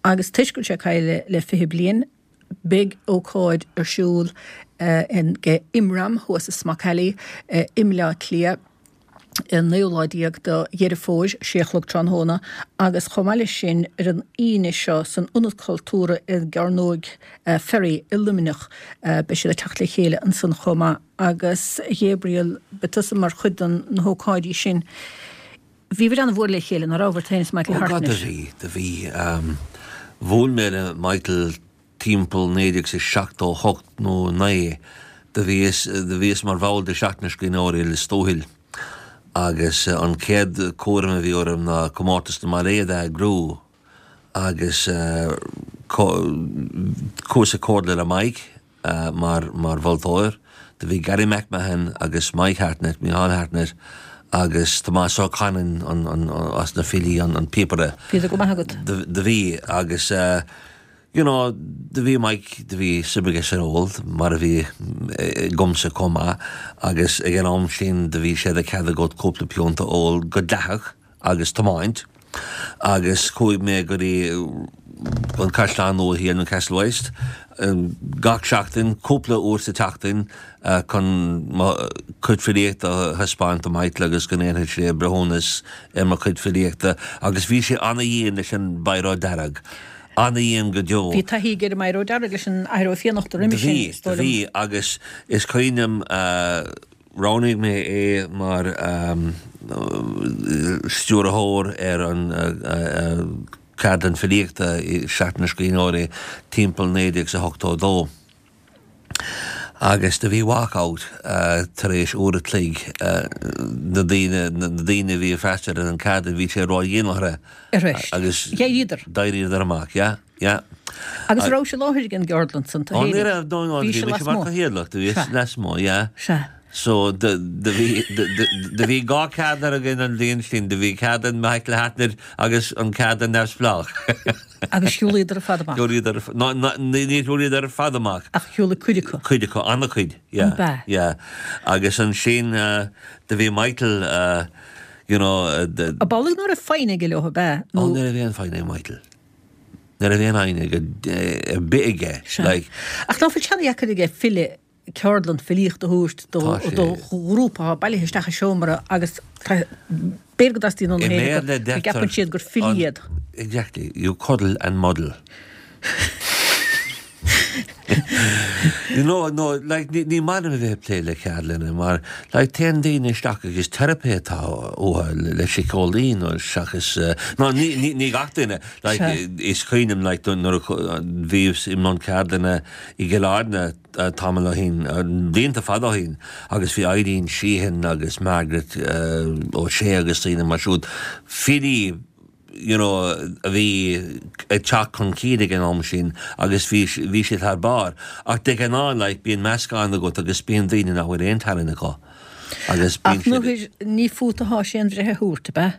Agus toisc go bhfuil sé caillte le 20 bliain, beidh ócáid ar siúl in imram thuas i Smock Alley i mBleá Cliath. An naoú lá déag de Dheireadh Fómhair, sé a chlog tráthnóna, agus chomh maith leis sin ar an Aoine seo san Ionad Cultúrtha i gCearnóg Ferry i Luimneach beidh siad ag teacht le chéile ansan chomh maith. Agus a Ghabriel, beidh tusa mar chuid de na hócáidí sin. Bhíobhair an-mhór le chéile, ná rabhabhair, tú féin is Michael Ó God, do Hartnett? bhí, do bhí. Bhuail mé le Michael Timpeall 1978 nó 9 do bhíos, do bhíos mar bhall de Seachtain na Scríbhneoirí i Lios Tuathail agus an chéad cúram a bhí orm ná Comórtas na mBailéad a eagrú agus chuas i comhairle le Mike. mar mar mholtóir. Do bhí Gary McMahon agus Mike Hartnett, Micheál Hartnett agus Tomás Ó Canainn an an as na filí an an píopaire. Bhíodar go maith agat. Do do bhí agus you know do bhí Mike do bhí suim aige san ól mar a bhí agamsa chomh maith agus ag an am sin do bhí sé de chead agat cúpla piúnta a ól go dleathach. agus tiomáint agus chuaigh mé go dtí an Caisleán Nua Thiar, Newcastle West, gach seachtain, cúpla uair sa tseachtain chun mo chuid filíochta a thaispeáint do Michael agus go ndéanfadh sé breithiúnas ar mo chuid filíochta agus bhí sé ana-dhian leis an bPiaró Dearg, ana-dhian go deo. Bhí taithí aige ar an mBioró Dearg leis an Athair Ó Fiannachta roimhe sin, is dóigh liom. Bhí, bhí agus is cuimhin liom, Roghnaigh mé é mar stiúrthóir ar an cheardlann filíochta i Seachtain na Scríbhneoirí timpeall 1982 agus do bhí walk-out tar éis uair a chloig, na daoine, na daoine a bhí ag freastal ar an cheardlann, bhí sé ródhian orthu agus d'éiríodar amach, yeah. Yeah. Agus an rabhais i láthair ag an gceardlann san, tú Ó, ní raibh, no, no, bhí mise mar chathaoirleach, do bhíos lasmuigh, yeah. Sea. So, do, do bhí, do, do, do bhí dhá cheardlann againn an bhliain sin, do bhí ceardlann Michael Hartnett agus an ceardlann neamhspleách. Agus shiúlaíodar ar fad amach. Shiúlaíodar, no, no, ní shiúlaíodar ar fad amach. Ach shiúlaigh cuid acu. Cuid acu, an-chuid, yeah. An b'ea? Yeah. Agus ansin, do bhí Michael, you know, do. Ab amhlaidh ná raibh foighne aige leo, ab ea? Ó, ní raibh aon foighne ag Michael. Ní raibh aon fhoighne ar bith aige. Sea. Ach ná fuil sé ana-dheacair aige file ceardlann filíochta a thabhairt do ghrúpa atá bailithe isteach i seomra agus b'fhéidir go dteastaíonn óna chéile go gceapann siad gur filí iad. Exactly. You cuddle and muddle. You know, no, like, ní, ní maith liom a bheith ag plé le ceardlanna mar, like, téann daoine isteach agus teiripe atá uathu le, le síceolaí nó seachas, eh, no, ní, ní, ní gach duine, like, Sea. is cuimhin liom, like, nuair a bhíos i mbun ceardlanna i gCill Airne eh, tamall ó shin, eh, blianta fada ó shin, agus bhí Eileen Sheehan agus Margaret eh, O'Shea agus daoine mar siúd, filí you know, a bhí ag teacht chun cinn ag an am sin agus bhí, bhí siad thar barr. Ach de ghnáth, like, bíonn meascán agat agus bíonn daoine nach bhfuil aon tallann acu agus bíonn siad. Ach ní fút atá sé an bhreith a thabhairt, ab ea?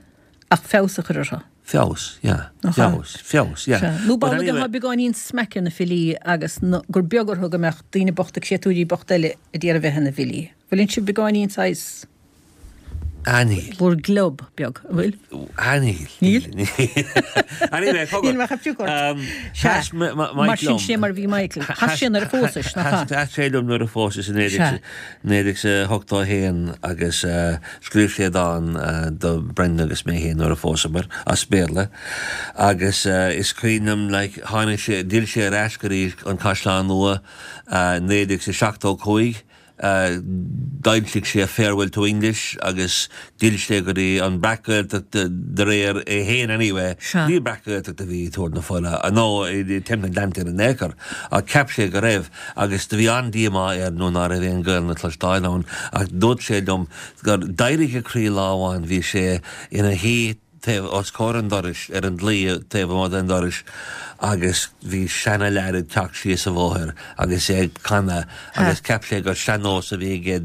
Ach feabhas a chur orthu. Feabhas, yeah. Nach ea? Feabhas, feabhas, yeah. Sea. Nó b'amhlaidh atá beagáinín smaic ar na filí agus gur beag orthu go mbeadh daoine bochta, créatúirí bochta eile a d'iarraidh a bheith ina bhfilí. Bhfuileann sibh beagáinín saghas. Ah níl. Bhur gclub beag, an bhfuil? Ah níl. Níl? Anyway, cogar. Níl mé chomh fiuch ort. Sea. Chas Mike liom. Mar sin sé mar a bhí Michael. Chas sé nuair a phósais, nach ea? Chas sé liom nuair a phósas i 1981 agus scríobh sé dán do Brendan agus mé féin nuair a phósamar, as Béarla. Agus is cuimhin liom, like, tháinig sé, d'fhill sé ar ais go dtí an Caisleán Nua i 1975 D'fhoilsigh sé Farewell to English agus d'fhill sé go dtí an Breac-Ghaeltacht de réir é féin anyway. Sea. Ní Breac-Ghaeltacht a bhí i dTuar na Fola nó i Teampall na nGleannta in aon chor ach cheap sé go raibh agus do bhí an-díomá air nuair ná raibh aon Ghaelainn le cloisteáil ann ach dúirt sé liom gur d'éirigh a chroí lá amháin bhí sé ina shuí taobh os comhair an dorais, ar an dlaoi taobh amuigh den dorais agus bhí seana-leaid ag teacht síos an bhóthar agus é ag canadh agus cheap sé gur sean-nós a bhí aige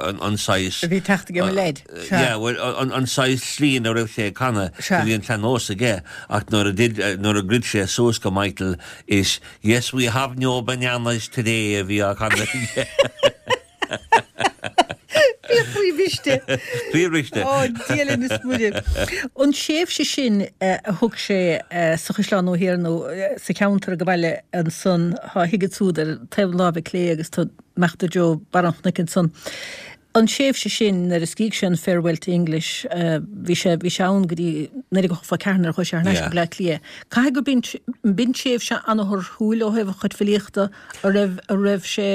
an saghas A bhí teacht aige an leaid. Sea. Yeah, well, an saghas slí ina raibh sé ag canadh, Sea. bhí an sean-nós aige ach nuair a did, nuair a dhruid sé suas go Michael is Yes, we have no bananas today a bhí á canadh aige. Bhí a chroí briste. Croí briste. Ó, Dia linn is Muire. An tréimhse sin a thug sé sa Chaisleán Nua Thiar nó sa cheantar ag baile ansan, thá a thigh ansúd ar taobh na láimhe clé agus tá amach i dtreo barr an chnoic ansan. An tréimhse sin nuair a scrígh sé an Farewell to English, bhí sé, bhí sé ann go dtí 1984 nuair a chuaigh sé thar n-ais go Bleá Cliath. Caithfidh go b'in, b'in tréimhse an-thorthúil ó thaobh a chuid filíochta, a raibh, a raibh sé,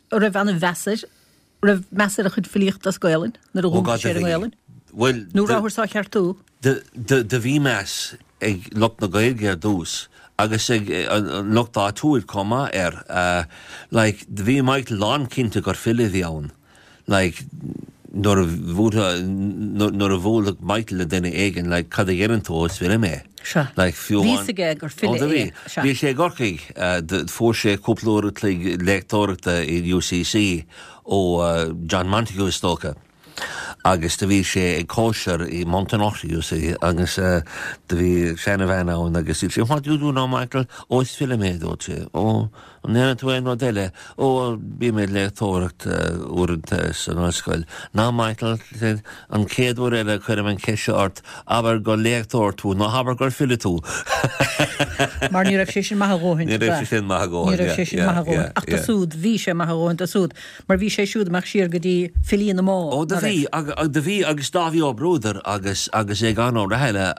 a raibh an-mheas air, a raibh meas ar a chuid filíochta as Gaolainn nuair a dhúntaigh sé ar an nGaolainn. Bhuel, Nó rabhthas á cheartú? Do bhí meas ag lucht na Gaeilge ar dtús agus ag an lucht áitiúil chomh maith air. Like, do bhí Michael lánchinnte gur file a bhí ann. Like, nuair a bhuailfeadh, nuair a bhuailfeadh Michael le duine éigin, like, cad a dhéanann tú? Ó, is file mé. Sea. Like, fiú Bhí fhios aige gur file Ó, do bhí. é. Sea. Bhí sé i gCorcaigh, fuair sé cúpla uair a chloig léachtóireachta i UCC ó John Montague is dócha. Agus do bhí sé ag cóisir i Montenotte, you see, agus do bhí seana-bhean ann agus dúirt sí, What do you do now, Michael? Ó, is file mé, a dúirt sé. Ó, an ndéanann tú aon rud eile? Ó, bím ag léachtóireacht uaireanta san ollscoil. Now, Michael, said, an chéad uair eile a chuirim an cheist seo ort, abair gur léachtóir tú, ná habair gur file tú. Mar ní raibh sé sin maith a dhóthain, Ní raibh sé sin maith a dhóthain, Ní raibh sé sin maith a dhóthain. Ach do súd, bhí sé maith a dhóthain do súd. Mar bhí sé siúd amach siar go dtí filí na mBá, Ó, do ná bhí, raibh? do bhí, agus Dáibhí Ó Bruadair agus, agus Aogán Ó Rathaille,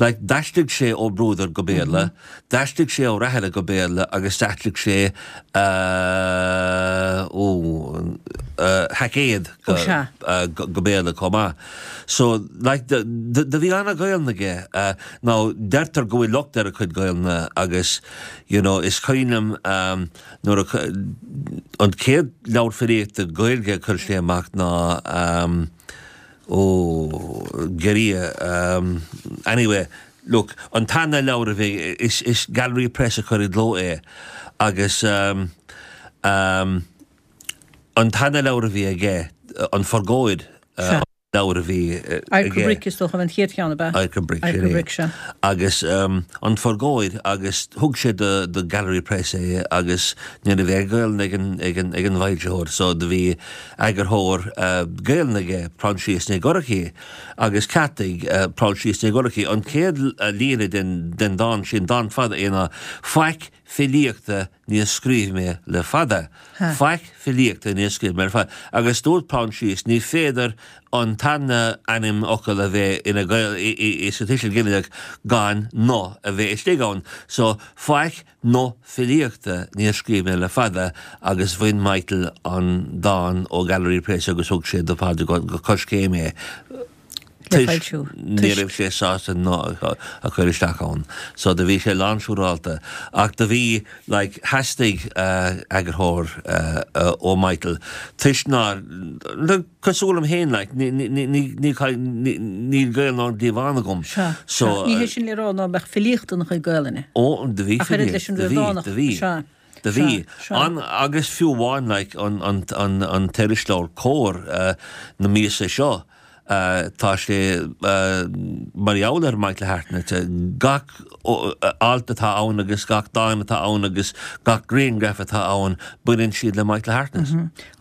like, d'aistrigh sé Ó Bruadair go Béarla, d'aistrigh sé Ó Rathaille go Béarla agus d'aistrigh sé, eh, ó, eh, Haicéad go, Ó, sea. eh, go, go Béarla chomh maith. So, like, do, do, do bhí ana-Ghaelainn aige. Eh, now, deirtear go bhfuil locht ar a chuid Gaelainne agus, you know, is cuimhin liom, eh, Nuair a, an chéad leabhar filíochta Gaeilge a chuir sé amach ná ó, Giorria, anyway, look, an tarna leabhar a bhí, is, is Gallery Press a chuir i gcló é agus an tarna leabhar a bhí aige, An Phurgóid, leabhar a bhí aige. Adharca Bric is dócha an chéad cheann, ab ea? Adharca Bric, sin é. Bric, sea. Agus An Phurgóid agus thug sé do do Gallery Press é agus ní raibh aon Ghaelainn ag an ag an ag an bhfoilsitheoir so do bhí eagarthóir Gaelainne aige, Proinsias Nic Dhorchaidh, agus cheartaigh Proinsias Nic Dhorchaidh an chéad líne den den dán sin, dán fada é ná Faic filíochta níor scríobh mé le fada. Faic filíochta níor scríobh mé le fada. Agus dúirt Proinsias, ní féidir an tarna ainmfhocal a bheith ina Gael sa tuiseal ginideach gan no a bheith istigh ann. So, faic no filíochta níor scríobh mé le fada agus bhain Michael an dán ó Gallery Press agus thug sé do Phádraig go Coiscéim é. le foilsiú. Ní raibh sé sásta no a chur isteach ann. So do bhí sé lánsiúrálta. Ach do bhí, like, theastaigh eagarthóir ó Michael toisc nár, cosúil liom féin, like, ní, ní, ní, ní, níl Gaelainn ón gcliabhán agam. Sea, sea. Ní hé sin le rá ná beadh filíocht ina chuid Gaelainne. Ó, do bhí Ach oiread leis filíocht, an do bhí, Ríordánach, do bhí. sea. Do bhí. Sea, sea. An, agus fiú amháin, like, an, an, an, an t-irisleabhar Comhar na míosa seo, tá sé mar gheall ar Michael Hartnett, gach alt atá ann agus gach dán atá ann agus gach grianghraf atá ann, baineann siad le Michael Hartnett.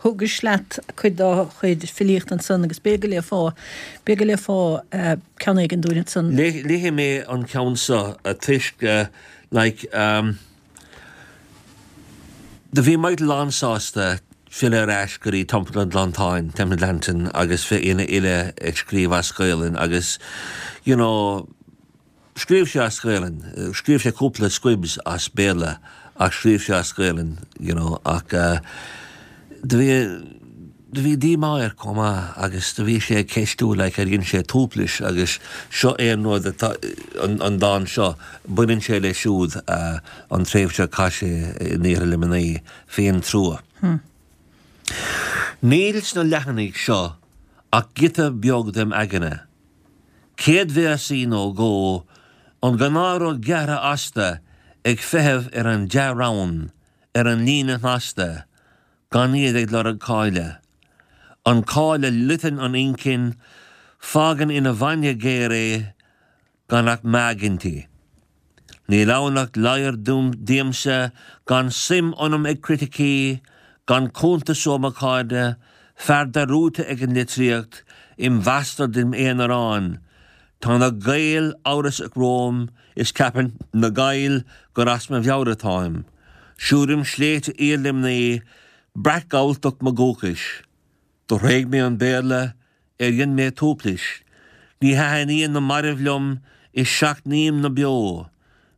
Thugais leat cuid dá chuid filíochta ansan agus b'fhéidir go léifeá, b'fhéidir go léifeá ceann éigin dúinn ansan. Léifidh mé an ceann seo toisc, like, Do bhí Michael lánsásta filleadh ar ais go dtí Teampall an Ghleanntáin, Templeglantine, agus bheith ina fhile ag scríobh as Gaolainn agus you know scríobh sé as Gaolainn, scríobh sé cúpla squibs as Béarla ach scríobh sé as Gaolainn you know ach do bhí Do bhí díomá air chomh maith agus do bhí sé ag ceistiú like ar dhein sé tuaiplis agus seo é an rud atá, an dán seo, baineann sé leis siúd an tréimhse a chaith sé in Iarthar Luimnigh, Féintrua. Níl sna leathanaigh seo ach giota beag dem aigne. Céadvéarsaí nó dhó, an gnáthrud gearrtha astu ag feitheamh ar an dea-rann, ar an líne shnasta, gan iad ag lorg cáile. An cáil a loiteann an inchinn, fágann ina bhainne géar é, gan ach meadhg inti. Níl ann ach ladhar díomsa, gan suim ionam ag criticí, gan cuntas ó mo chairde, fear dearúdta ag an litríocht, im bhastard im aonarán. Tá na Gaeil amhrasach romham is ceapann na Gaill gur as mo mheabhair atáim. Siúlaim sléibhte Iar-Luimnigh, breac-Ghalltacht mo dhúchais. Do thréig mé an Béarla ar dhein mé tuaiplis. Ní thaithníonn na mairbh liom is seachnaím na beo.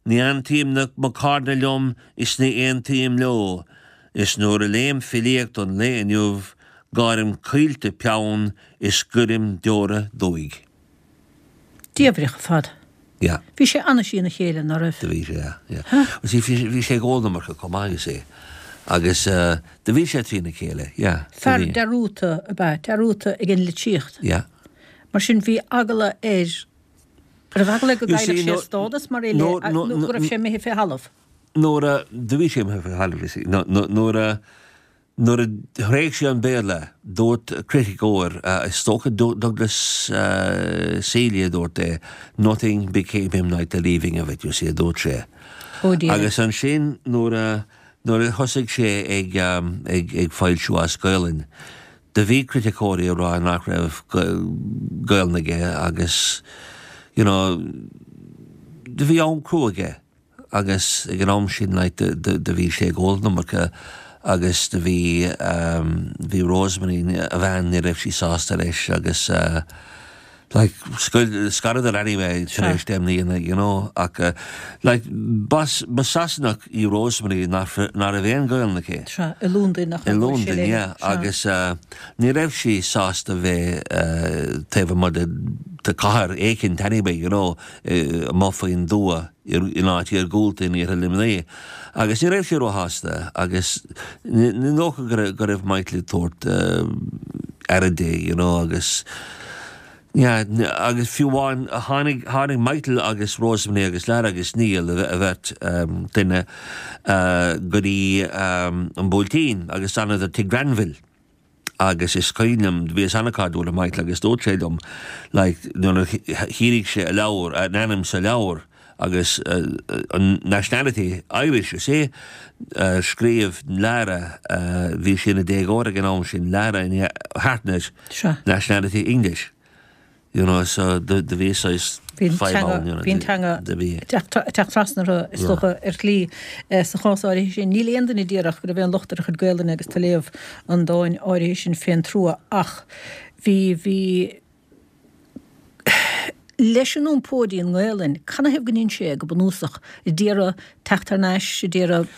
Ní aontaím na mo cairde liom is ní aontaím leo. Is nuair a léim filíocht an lae inniu gáirim coillte peann is goirim deora dúigh. Diabhraíoch ar fad. Yeah. Bhí sé ana-thrína chéile, ná raibh? Do bhí sé, yeah, yeah. Huh? You see, bhí, bhí sé ag ól an iomarca chomh maith, you see. Agus uh, do bhí sé trína chéile, yeah. do Fear bhí. dearúdta ab ea, dearúdta ag an litríocht. Yeah. Mar sin bhí eagla air, raibh eagla air go You see, gcaillfeadh sé no, a stádas mar fhile no, nó no, go no, raibh sé imithe fé thalamh? Nuair a, do bhí sé imithe fé thalamh, you see. No, no, nuair a, Nuair a thréig sé an Béarla, dúirt criticeoir, is dócha Douglas Seeley a dúirt é, nothing became him like the leaving of it, you see, a dúirt sé. Oh dear. Agus ansin nuair a, nuair a thosaigh sé ag, ag, ag foilsiú as Gaolainn, do bhí criticeoirí ag rá nach raibh Gaolainn aige agus, you know, do bhí am crua aige. agus ag an am sin like do bhí sé ag ól an iomarca agus do bhí bhí Rosemary a bhean ní raibh sí sásta leis agus like scaradar anyway tar éis deich mbliana you know ach like ba ba Sasanach í Rosemary nach nach raibh aon Ghaelainn aici. Sea, i Londain nach I raibh sé Londain léi. yeah Sea. agus ní raibh sí sásta bheith taobh amuigh de de cathair éicint anyway you know amuigh faoin dtuath in áit iargúlta in iarthar Luimnigh agus ní raibh sé róshásta agus ní dócha go raibh Michael ag tabhairt aire di you know agus yeah agus fiú amháin tháinig tháinig Michael agus Rosemary agus Lara agus Neil a bheirt duine go dtí an Buailtín agus d'fhanadar tigh Granville. agus is cuimhin liom, bhíos an-chairdiúil le Michael agus dúirt sé liom like nuair a shínigh sé a leabhar, a ainm sa leabhar agus an nationality Irish, you see, scríobh Lara, bhí sí ina déagóir ag an am sin, Lara Hartnett, nationality English. You know, so do bhí saghas fadhb ann, you know. Bhí an teanga ag teacht trasna orthu, is dócha, ar shlí sa chás áirithe sin. Níl aon duine a déarfadh go raibh aon locht ar a chuid Gaelainne agus tú ag léamh an dáin áirithe sin fén trua ach bhí, bhí, leis an iompó dtí an nGaelainn, canathaobh go ndein sé é go bunúsach? A d'iarraidh teacht thar n-ais, a d'iarraidh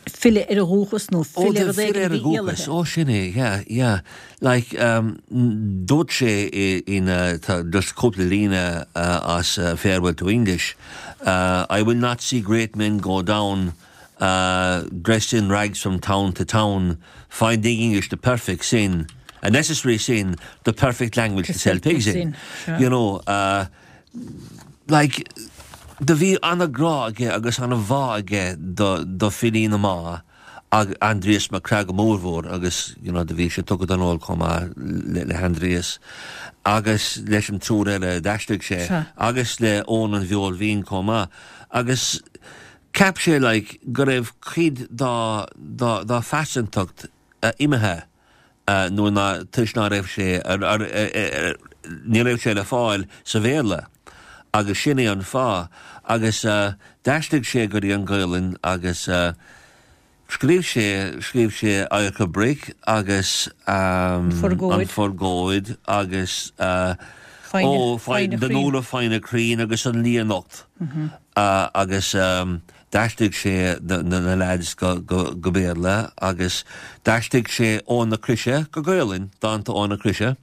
filleadh ar a dhúchas nó filleadh ar rud éigin a bhí éalaithe? Ó, sin é, yeah, yeah. Like, dúirt sé in, tá just cúpla líne as Farewell to English, I will not see great men go down dressed in rags from town to town, finding English the perfect sin, a necessary sin, the perfect language to sell pigs in. You know, like, do bhí ana-ghrá aige agus ana-bhá aige do, do filí na Mumhan ag Aindrias Mac Craith go mórmhór agus you know do bhí sé tugtha don ól chomh maith le, le hAindrias agus leis an triúr eile a d'aistrigh sé agus le Eoghan an Bheoil Bhinn chomh maith agus cheap sé like go raibh cuid dá, dá, dá phearsantacht imithe nuair ná, toisc ná raibh sé, ní raibh sé le fáil sa Bhéarla agus sin é an fáth agus d'aistrigh sé go dtí an Ghaolainn agus scríobh sé, scríobh sé Adharca Bric agus An Phurgóid agus ó, The Nuala Foighne Cruinn agus An Lia Nocht agus. D'aistrigh sé na leaids go Béarla agus d'aistrigh sé Eoin na Croise go Gaolainn, dánta Eoin na Croise.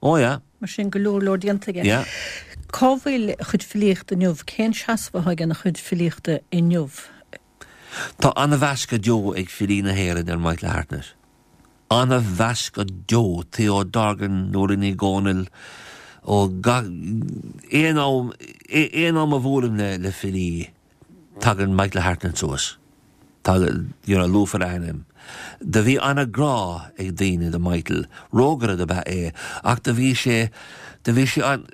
Ó yeah. Mar sin, go leor leor déanta aige. Yeah. Cá bhfuil a chuid filíochta inniu? Cén seasamh atá aige ina chuid filíochta inniu? Tá ana-mheas go deo ag filí na hÉireann ar Michael Hartnett. Ana-mheas go deo. Theo Dorgan, Nóirín Ní Dhomhnaill, ó gach, aon am, aon am a bhuailim le filí, Tagann Michael Hartnett suas. Tagann, you know, luafar a ainm. Do bhí ana-ghrá ag daoine do Michael. Rógaire do b'ea é, ach do bhí sé, do bhí sé an,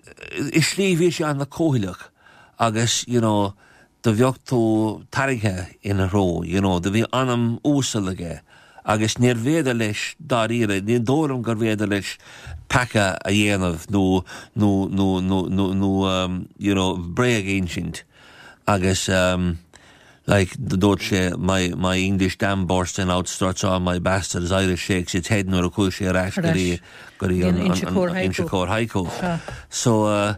i slí bhí sé ana-cúthaileach agus, you know, do bheadh tú tarraingthe ina threo, you know, do bhí anam uasal aige agus níorbh fhéidir leis dáiríre, ní dóigh liom gurbh fhéidir leis peaca a dhéanamh nó, nó, nó, nó, nó, nó, you know, bréag a insint. Agus. Like, dúirt sé, my, my English dam burst and out struts all my bastards Irish shakes its head nuair a chuaigh sé ar ais go dtí, go dtí an, an, an Inse Chór Haiku. So, uh,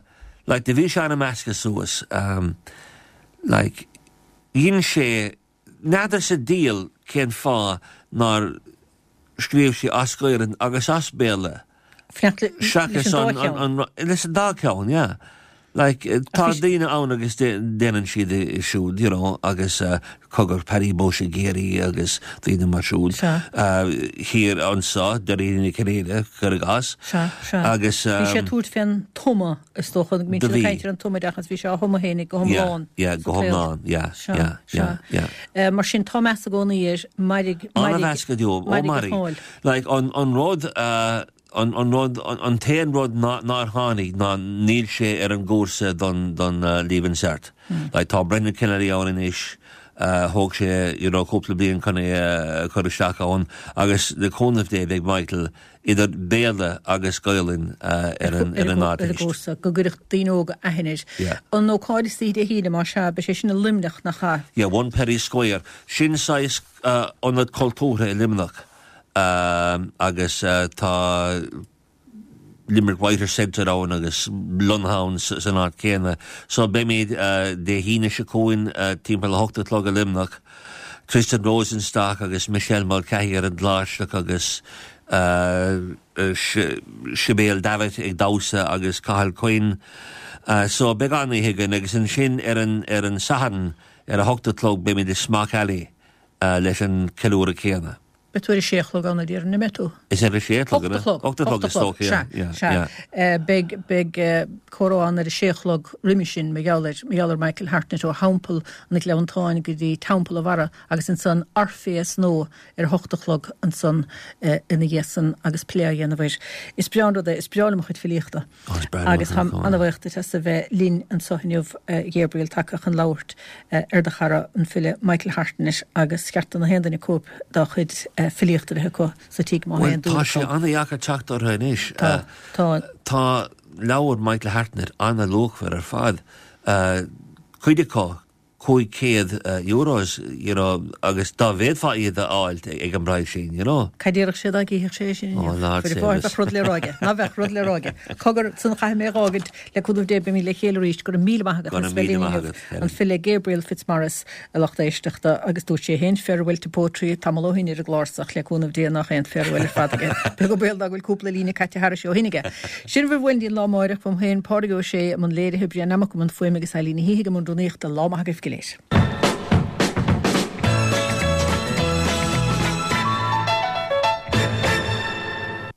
like, do bhí sé an-measctha suas, um, like, dhein sé, n'fheadar sa diabhal cén fáth nár scríobh sé as Gaelainn agus as Béarla. Seachas an dá cheann. Leis an dá cheann, yeah. Like, tá daoine ann agus déanann siad é siúd, you know, agus cogar Paddy Bushe i gCiarraí agus daoine mar siúd. Thiar anso, Dáiríre Nic Cinnéide, cuir i gcás. Sea, sea. Agus. Bhí sé ag tabhairt fén tumadh, is dócha, go mbíonn siad ag caint ar an tumoideachas, bhí sé á thumadh féinig go hiomlán. Yeah, yeah, go hiomlán, yeah, yeah, yeah, yeah. Mar sin, tá meas i gcónaí air, mairg, mairg. An-mheas go deo, ó mairg. Like, an, an rud, an, an rud, an t-aon rud nár tháinig ná níl sé ar an gcúrsa don, don Leaving Cert. Like, tá Brendan Kennelly ann anois, thóg sé, you know, cúpla bliain chun é a chur isteach ann agus le cúnamh Dé beidh Michael idir Béarla agus Gaolainn ar an, ar an Ardteist. Ar an gcúrsa, go gcuirfeadh daoine óga aithne air. Yeah. An ócáid istoíche Dé hAoine, más ea, beidh sé sin i Luimneach, nach ea? Yeah, One Pery Square. Sin saghas ionad cultúrtha i Luimneach agus tá Limerick Writers Centre ann agus lonnaithe ann san áit chéanna. So beimid Dé hAoine seo chugainn timpeall a hocht a chlog i Luimneach. Tristan Rosenstock agus Michelle Mulcahy ar an gcláirseach agus Sibéal Davitt ag damhsa agus Cathal Quinn. So beidh an-oíche againn agus ansin ar an ar an Satharn Ar a hocht a chlog beimid i Smock Alley leis an ceiliúradh céanna. Beidh tú ar a sé a chlog ann a déarfainn, an mbeidh tú? Is ar a sé a chlog, an ea? Ocht a chlog. Ocht a chlog is dócha, yeah, yeah, yeah. Sea, beidh, beidh comhrá ann ar a sé a chlog roimhe sin, mar gheall ar, mar gheall ar Michael Hartnett ó Theampall an Ghleanntáin go dtí Teampall an Bharra agus ansan Orpheus Nua ar a hocht a chlog ansan ina dhiaidh san agus plé á dhéanamh air. Is breá an rud é, is breá liom a chuid filíochta. Agus táim an-bhuíoch duit as a bheith linn anseo inniu, a Ghabriel, tagtha chun labhairt ar do chara, an file Michael Hartnett, agus cheart do na haon duine cóip dá chuid filíochta a bheith acu sa tigh má tá aon dúil acu. Bhuel, tá sé an-dheacair teacht orthu anois. Tá, tá. Tá leabhair Michael Hartnett an-luachmhar ar fad. Cuid acu 500 euros, you know, agus dá bhféadfá iad a fháilt ag an bpraghas sin, you know. Cad déarfadh sé dá gcífeadh sé é sin inniu? Oh, Lord save us. Bheadh rud le rá aige. Ná bheadh rud le rá aige. Cogar, san chaithfidh mé a dh'fhágaint, le cúnamh Dé beimid le chéile arís. Go raibh míle maith agat as a bheith linn inniu. An file Gabriel Fitzmaurice, a lucht éisteachta, agus dúirt sé féin farewell to poetry tamall ó shin ar an gclár so ach le cúnamh Dé nach aon farewell ar fad aige. Beag an baol ná go bhfuil cúpla líne caite thairis ó shin aige. Sin bhur bhfuil go dtí an lá amáireach, uaim féin, Pádraig Ó Sé, i mbun léirithe, Brian Nammock i mbun fuaime agus Eileen Ní hIgh i mbun rúnaíochta. Lá maith agaibh go léir.